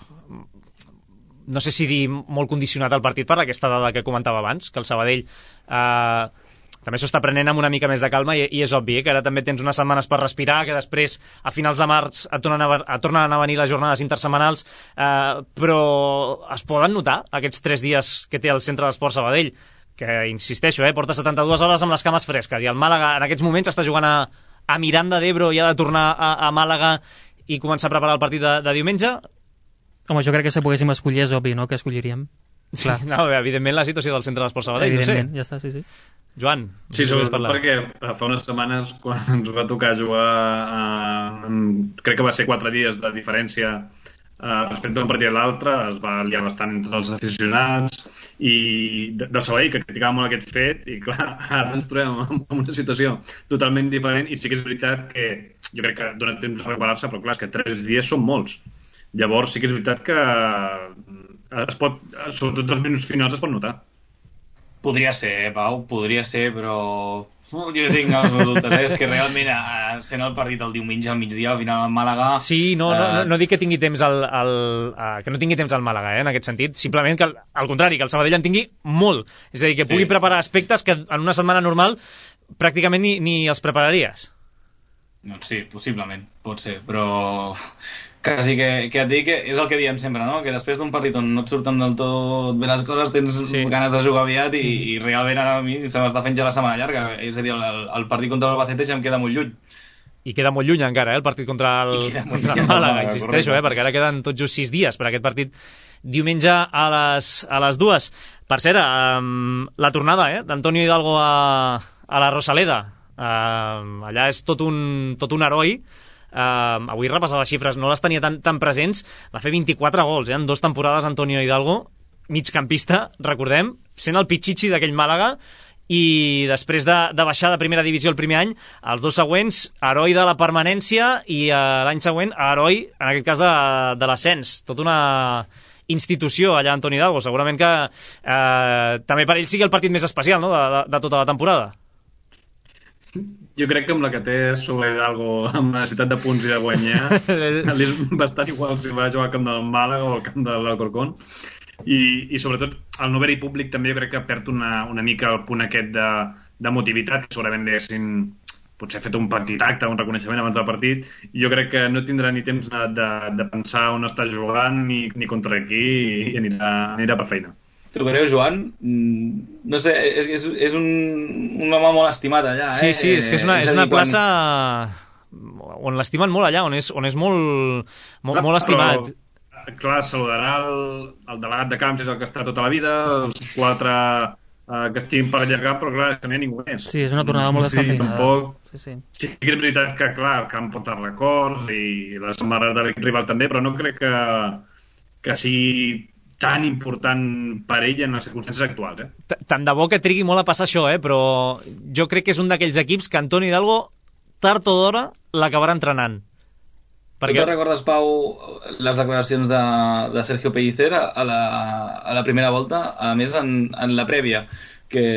no sé si dir molt condicionat al partit per aquesta dada que comentava abans, que el Sabadell eh, també s'ho està prenent amb una mica més de calma i, i és obvi, eh, que ara també tens unes setmanes per respirar, que després a finals de març et tornen a, et tornen a venir les jornades intersetmanals, eh, però es poden notar aquests tres dies que té el Centre d'Esport Sabadell, que insisteixo, eh, porta setanta-dues hores amb les cames fresques i el Màlaga en aquests moments està jugant a, a Miranda d'Ebro i ha de tornar a, a Màlaga i començar a preparar el partit de, de diumenge. Home, jo crec que si poguéssim escollir és obvi, no?, que escolliríem. Clar. Sí, no, evidentment la situació del Centre d'Esport Sabadell, evidentment, no sé. Ja està, sí, sí. Joan, sí, sobretot perquè fa unes setmanes quan ens va tocar jugar eh, crec que va ser quatre dies de diferència eh, respecte a un partit a l'altre, es va liar bastant entre els aficionats i de, del Sabadell, que criticava molt aquest fet i clar, ara ens trobem en, en una situació totalment diferent i sí que és veritat que jo crec que dona temps a preparar-se, però clar, és que tres dies són molts. Llavors sí que és veritat que es pot, sobretot els minuts finals es pot notar. Podria ser, Pau, podria ser, però jo tinc els meus dubtes, eh? És que realment sent el partit el diumenge al migdia, al final al Màlaga... Sí, no, no, no, no dic que tingui temps al, al, uh, que no tingui temps al Màlaga, eh, en aquest sentit, simplement que al, al contrari, que el Sabadell en tingui molt, és a dir, que pugui sí. preparar aspectes que en una setmana normal pràcticament ni, ni els prepararies. Doncs sí, possiblement, pot ser, però... Quasi que, que et dic que és el que diem sempre, no? Que després d'un partit on no et surten del tot bé les coses tens sí. ganes de jugar aviat i, i realment ara a mi se m'està fent ja la setmana llarga. És a dir, el, el partit contra l'Albacete ja em queda molt lluny. I queda molt lluny encara, eh, el partit contra el, contra el Màlaga, insisteixo, eh, perquè ara queden tot just sis dies per aquest partit diumenge a les, a les dues. Per cert, um, la tornada eh, d'Antonio Hidalgo a, a la Rosaleda, uh, allà és tot un, tot un heroi. Uh, avui repassava les xifres, no les tenia tan, tan presents, va fer vint-i-quatre gols eh, en dues temporades Antonio Hidalgo, migcampista, recordem, sent el pitxichi d'aquell Màlaga i després de, de baixar de primera divisió el primer any, els dos següents heroi de la permanència i uh, l'any següent heroi, en aquest cas de, de l'ascens, tota una institució allà Antonio Hidalgo, segurament que uh, també per ell sigui el partit més especial, no?, de, de, de tota la temporada. Jo crec que amb la que té sobre Hidalgo amb la necessitat de punts i de guanyar és bastant igual si va jugar al camp del Màlaga o al camp de l'Alcorcón i, i sobretot el no haver-hi públic també jo crec que perd una, una mica el punt aquest de, de motivitat que segurament haguessin potser fet un petit acte, un reconeixement abans del partit i jo crec que no tindrà ni temps de, de pensar on està jugant ni, ni contra qui i anirà, anirà per feina. Tu creu, Joan? No sé, és, és, és un, un home molt estimat allà, eh? Sí, sí, és que és una, és una plaça quan... on l'estimen molt allà, on és, on és molt, molt, clar, molt estimat. Però, clar, saludarà el, el delegat de camps, és el que està tota la vida, els quatre uh, que estiguin per allargar, però clar, que no hi ha ningú més. Sí, és una tornada molt descafeinada. Sí, tampoc... Sí, sí. Sí que és veritat que, clar, el camp porta records i la samarreta de rival també, però no crec que, que sigui tan important per ell en les circumstàncies actuals. Eh? Tant de bo que trigui molt a passar això, eh? Però jo crec que és un d'aquells equips que Antonio Hidalgo, tard o d'hora, l'acabarà entrenant. Perquè... Tu te recordes, Pau, les declaracions de, de Sergio Pellicer a la, a la primera volta, a més en, en la prèvia, que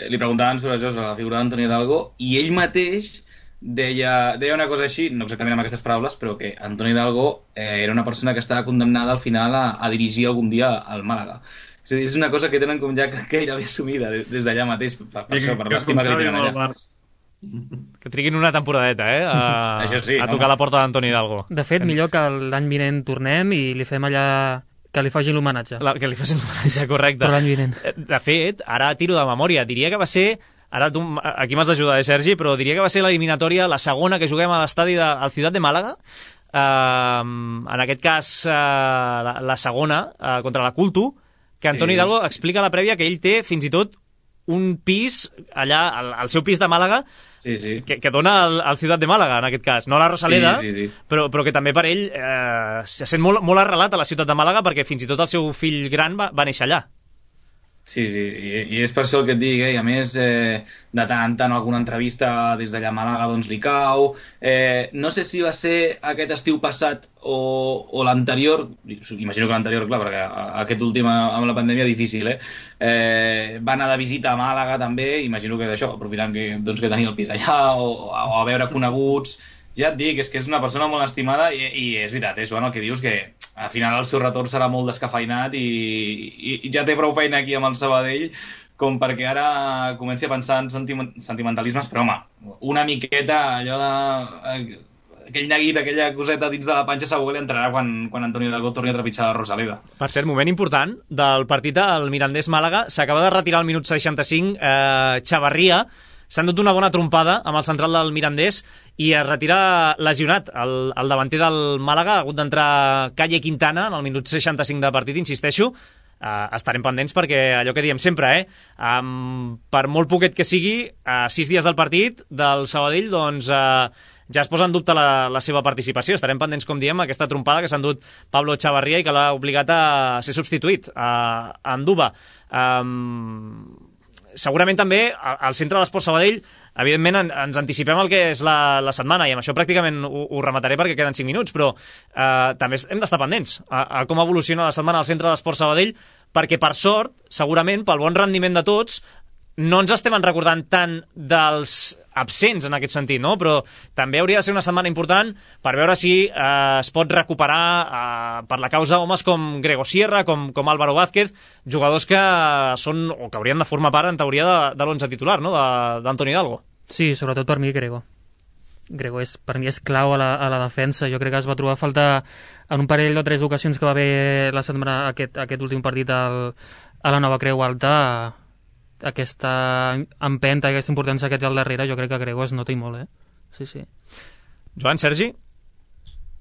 li preguntaven sobre això, sobre la figura d'Antonio Hidalgo, i ell mateix deia, deia una cosa així, no exactament amb aquestes paraules, però que Antonio Hidalgo eh, era una persona que estava condemnada al final a, a dirigir algun dia al Màlaga. És a dir, és una cosa que tenen com ja gairebé assumida des d'allà mateix, per, per això, per l'estima que tenen allà. Que triguin una temporadeta, eh? A, sí, a tocar home. La porta d'Antonio Hidalgo. De fet, millor que l'any vinent tornem i li fem allà... que li facin l'homenatge. La, que li facin l'homenatge, correcte. Per l'any vinent. De fet, ara tiro de memòria, diria que va ser... Ara tu, aquí m'has d'ajudar, eh, Sergi, però diria que va ser l'eliminatòria, la segona que juguem a l'estadi de, al Ciutat de Màlaga. Uh, en aquest cas, uh, la, la segona, uh, contra la Cultu, que Antonio sí. Hidalgo explica a la prèvia que ell té fins i tot un pis allà, al, al seu pis de Màlaga, sí, sí. Que, que dona al, al Ciutat de Màlaga, en aquest cas. No la Rosaleda, sí, sí, sí. Però, però que també per ell eh, se sent molt, molt arrelat a la Ciutat de Màlaga perquè fins i tot el seu fill gran va, va néixer allà. Sí, sí, i, i és per això el que et dic, eh? I a més, eh, de tant en tant alguna entrevista des d'allà a Màlaga doncs li cau. Eh, no sé si va ser aquest estiu passat o, o l'anterior, imagino que l'anterior, clar, perquè aquest últim amb la pandèmia difícil, eh? eh? Va anar de visita a Màlaga també, imagino que d'això, aprofitant que, doncs, que tenia el pis allà, o, o a veure coneguts, ja et dic, és que és una persona molt estimada i, i és veritat, és Joan, el que dius, que al final el seu retorn serà molt descafeinat i, i, i ja té prou feina aquí amb el Sabadell com perquè ara comenci a pensar en sentiment, sentimentalismes, però home, una miqueta allò de... aquell neguit, aquella coseta dins de la panxa segur que li entrarà quan, quan Antonio Hidalgo torni a trepitjar la Rosaleda. Per cert, moment important del partit al Mirandés-Màlaga, s'acaba de retirar al minut seixanta-cinc eh, Chavarria, s'ha endut una bona trompada amb el central del Mirandés i es retira lesionat el, el davanter del Màlaga, ha hagut d'entrar Calle Quintana en el minut seixanta-cinc de partit, insisteixo. Uh, estarem pendents perquè allò que diem sempre, eh? Um, per molt poquet que sigui, a uh, sis dies del partit del Sabadell, doncs uh, ja es posa en dubte la, la seva participació. Estarem pendents, com diem, aquesta trompada que s'ha endut Pablo Chavarria i que l'ha obligat a ser substituït a, a Anduba. Um, segurament també al centre de l'Esport Sabadell, evidentment en, ens anticipem el que és la, la setmana i amb això pràcticament ho, ho remataré perquè queden cinc minuts, però eh, també hem d'estar pendents a, a com evoluciona la setmana al centre de l'Esport Sabadell, perquè per sort, segurament, pel bon rendiment de tots, no ens estem recordant tant dels absents en aquest sentit, no? Però també hauria de ser una setmana important per veure si eh, es pot recuperar eh, per la causa homes com Grego Sierra, com, com Álvaro Vázquez, jugadors que són o que haurien de formar part, en teoria, de, de l'onze titular, no? d'Antonio Hidalgo. Sí, sobretot per mi Grego. Grego és, per mi és clau a la, a la defensa. Jo crec que es va trobar a falta en un parell o tres ocasions que va haver la setmana, aquest, aquest últim partit al, a la Nova Creu Alta. Aquesta empenta, aquesta importància que té al darrere, jo crec que Grego es nota i molt, eh? Sí, sí. Joan, Sergi?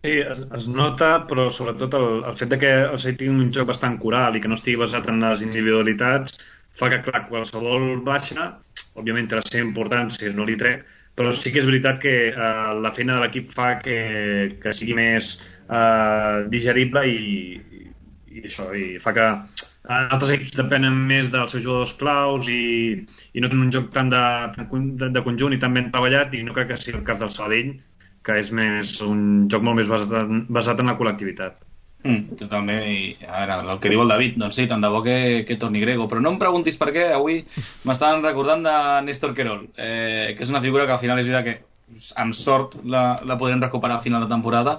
Sí, es, es nota, però sobretot el, el fet de que el Sabadell tingui un joc bastant coral i que no estigui basat en les individualitats fa que, clar, qualsevol baixa, òbviament té la seva importància, no li trec, però sí que és veritat que eh, la feina de l'equip fa que, que sigui més eh, digerible i, i això, i fa que altres equips depenen més dels seus jugadors claus i, i no tenen un joc tan de, de, de conjunt i tan ben treballat, i no crec que sigui el cas del Sabadell, que és més un joc molt més basat, basat en la col·lectivitat. Mm, totalment, i a veure, el que diu el David, doncs sí, tant de bo que, que torni Grego, però no em preguntis per què, avui m'estaven recordant de Néstor Querol, eh, que és una figura que al final és veritat que amb sort la, la podrem recuperar a final de temporada,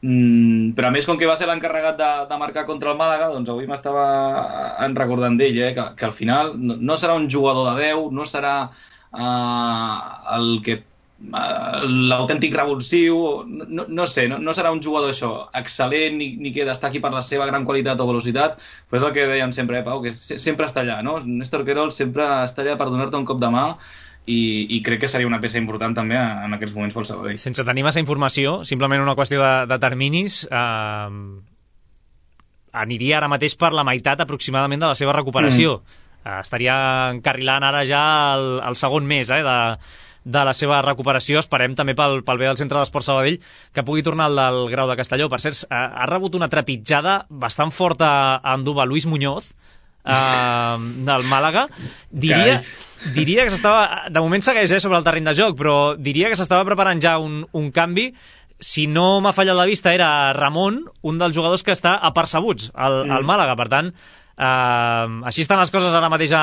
mm, però a més com que va ser l'encarregat de, de marcar contra el Màlaga, doncs avui m'estava recordant d'ell, eh, que, que al final no, no serà un jugador de deu, no serà uh, el que l'autèntic revulsiu, no, no sé, no, no serà un jugador això excel·lent ni, ni que destaqui per la seva gran qualitat o velocitat, però és el que dèiem sempre, eh, Pau, que se, sempre està allà, no? Néstor Querol sempre està allà per donar-te un cop de mà i, i crec que seria una peça important també en aquests moments pel Sabadell. Sense tenir massa informació, simplement una qüestió de, de terminis, eh, aniria ara mateix per la meitat aproximadament de la seva recuperació. Mm. Eh, estaria encarrilant ara ja el, el segon mes eh, de de la seva recuperació. Esperem també pel, pel bé del centre d'Esport Sabadell que pugui tornar al del Grau de Castelló. Per cert, ha, ha rebut una trepitjada bastant forta a Anduba Luis Muñoz eh, del Màlaga. Diria, diria que s'estava, de moment segueix eh, sobre el terreny de joc, però diria que s'estava preparant ja un, un canvi. Si no m'ha fallat la vista, era Ramon, un dels jugadors que està apercebuts al, mm. al Màlaga. Per tant, eh, així estan les coses ara mateix a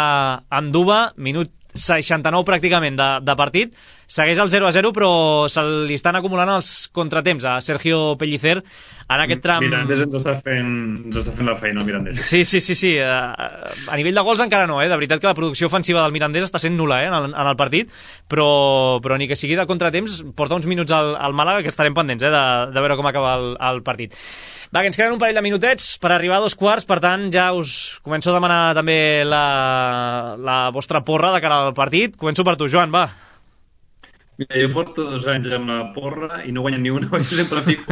Anduba, minut seixanta-nou pràcticament de, de partit, segueix el zero a zero, però se li estan acumulant els contratemps a Sergio Pellicer en aquest tram. Mirandés ens està fent, ens està fent la feina, el Mirandés. Sí, sí, sí, sí. A nivell de gols encara no, eh? De veritat que la producció ofensiva del Mirandés està sent nul·la eh? en, el, en el partit, però, però ni que sigui de contratemps porta uns minuts al, al Màlaga que estarem pendents eh? de, de veure com acaba el, el partit. Va, que ens queden un parell de minutets per arribar a dos quarts, per tant ja us començo a demanar també la, la vostra porra de cara al partit. Començo per tu, Joan, va. Mira, jo porto dos anys amb la porra i no guanyen ni una, jo sempre dic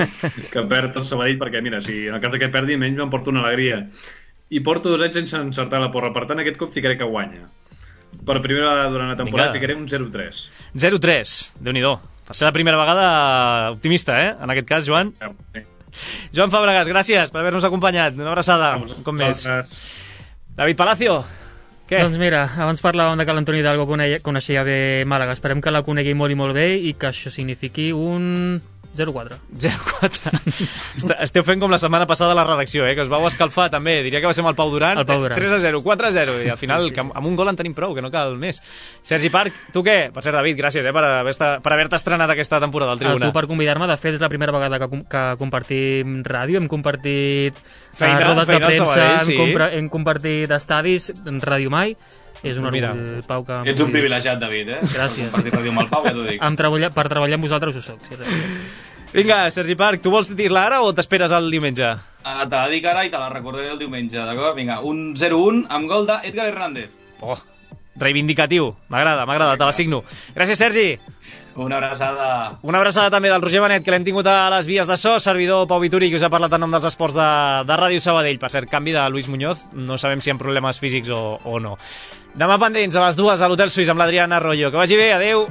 que perd el Sabadell, perquè mira, si en el cas que perdi menys me'n porto una alegria. I porto dos anys sense encertar la porra, per tant aquest cop ficaré que guanya. Per primera vegada durant la temporada ficaré un zero tres. zero tres, Déu-n'hi-do. Per ser la primera vegada optimista, eh? En aquest cas, Joan. Sí. Joan Fàbregas, gràcies per haver-nos acompanyat. Una abraçada, un cop més. David Palacio, què? Doncs mira, abans parlàvem de que l'Antoni Hidalgo coneixia bé Màlaga. Esperem que la conegui molt i molt bé i que això signifiqui un zero quatre. zero quatre. Esteu fent com la setmana passada a la redacció, eh? Que us vau escalfar també. Diria que va ser amb el Pau Duran. El Pau Duran. tres a zero, quatre a zero. I al final, sí, sí. amb un gol en tenim prou, que no cal més. Sergi Parc, tu què? Per cert, David, gràcies eh, per haver-te per haver estrenat aquesta temporada al Tribuna. A tu per convidar-me. De fet, és la primera vegada que, que compartim ràdio. Hem compartit feina, uh, rodes de premsa, Sabadell, sí. hem, hem compartit estadis, Ràdio Mai. És un orgull, Pau, que... Ets un privilegiat, David, eh? Gràcies. Compartir ràdio amb el Pau, ja t'ho dic. Treballar, per treballar amb vosaltres ho soc, sí. Vinga, Sergi Parc, tu vols dir-la ara o t'esperes el diumenge? Uh, te la dic ara i te la recordaré el diumenge, d'acord? Vinga, un zero un amb gol d'Edgar Hernández. Oh, reivindicatiu. M'agrada, m'agrada, te la signo. Gràcies, Sergi. Una abraçada. Una abraçada també del Roger Benet, que l'hem tingut a les vies de so, servidor Pau Vituri, que us ha parlat en nom dels esports de, de Ràdio Sabadell. Per cert, canvi de Luis Muñoz, no sabem si hi ha problemes físics o, o no. Demà pendents a les dues a l'Hotel Suís amb l'Adriana Arroyo. Que vagi bé, adeu.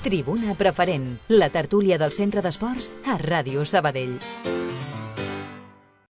Tribuna Preferent, la tertúlia del Centre d'Esports a Ràdio Sabadell.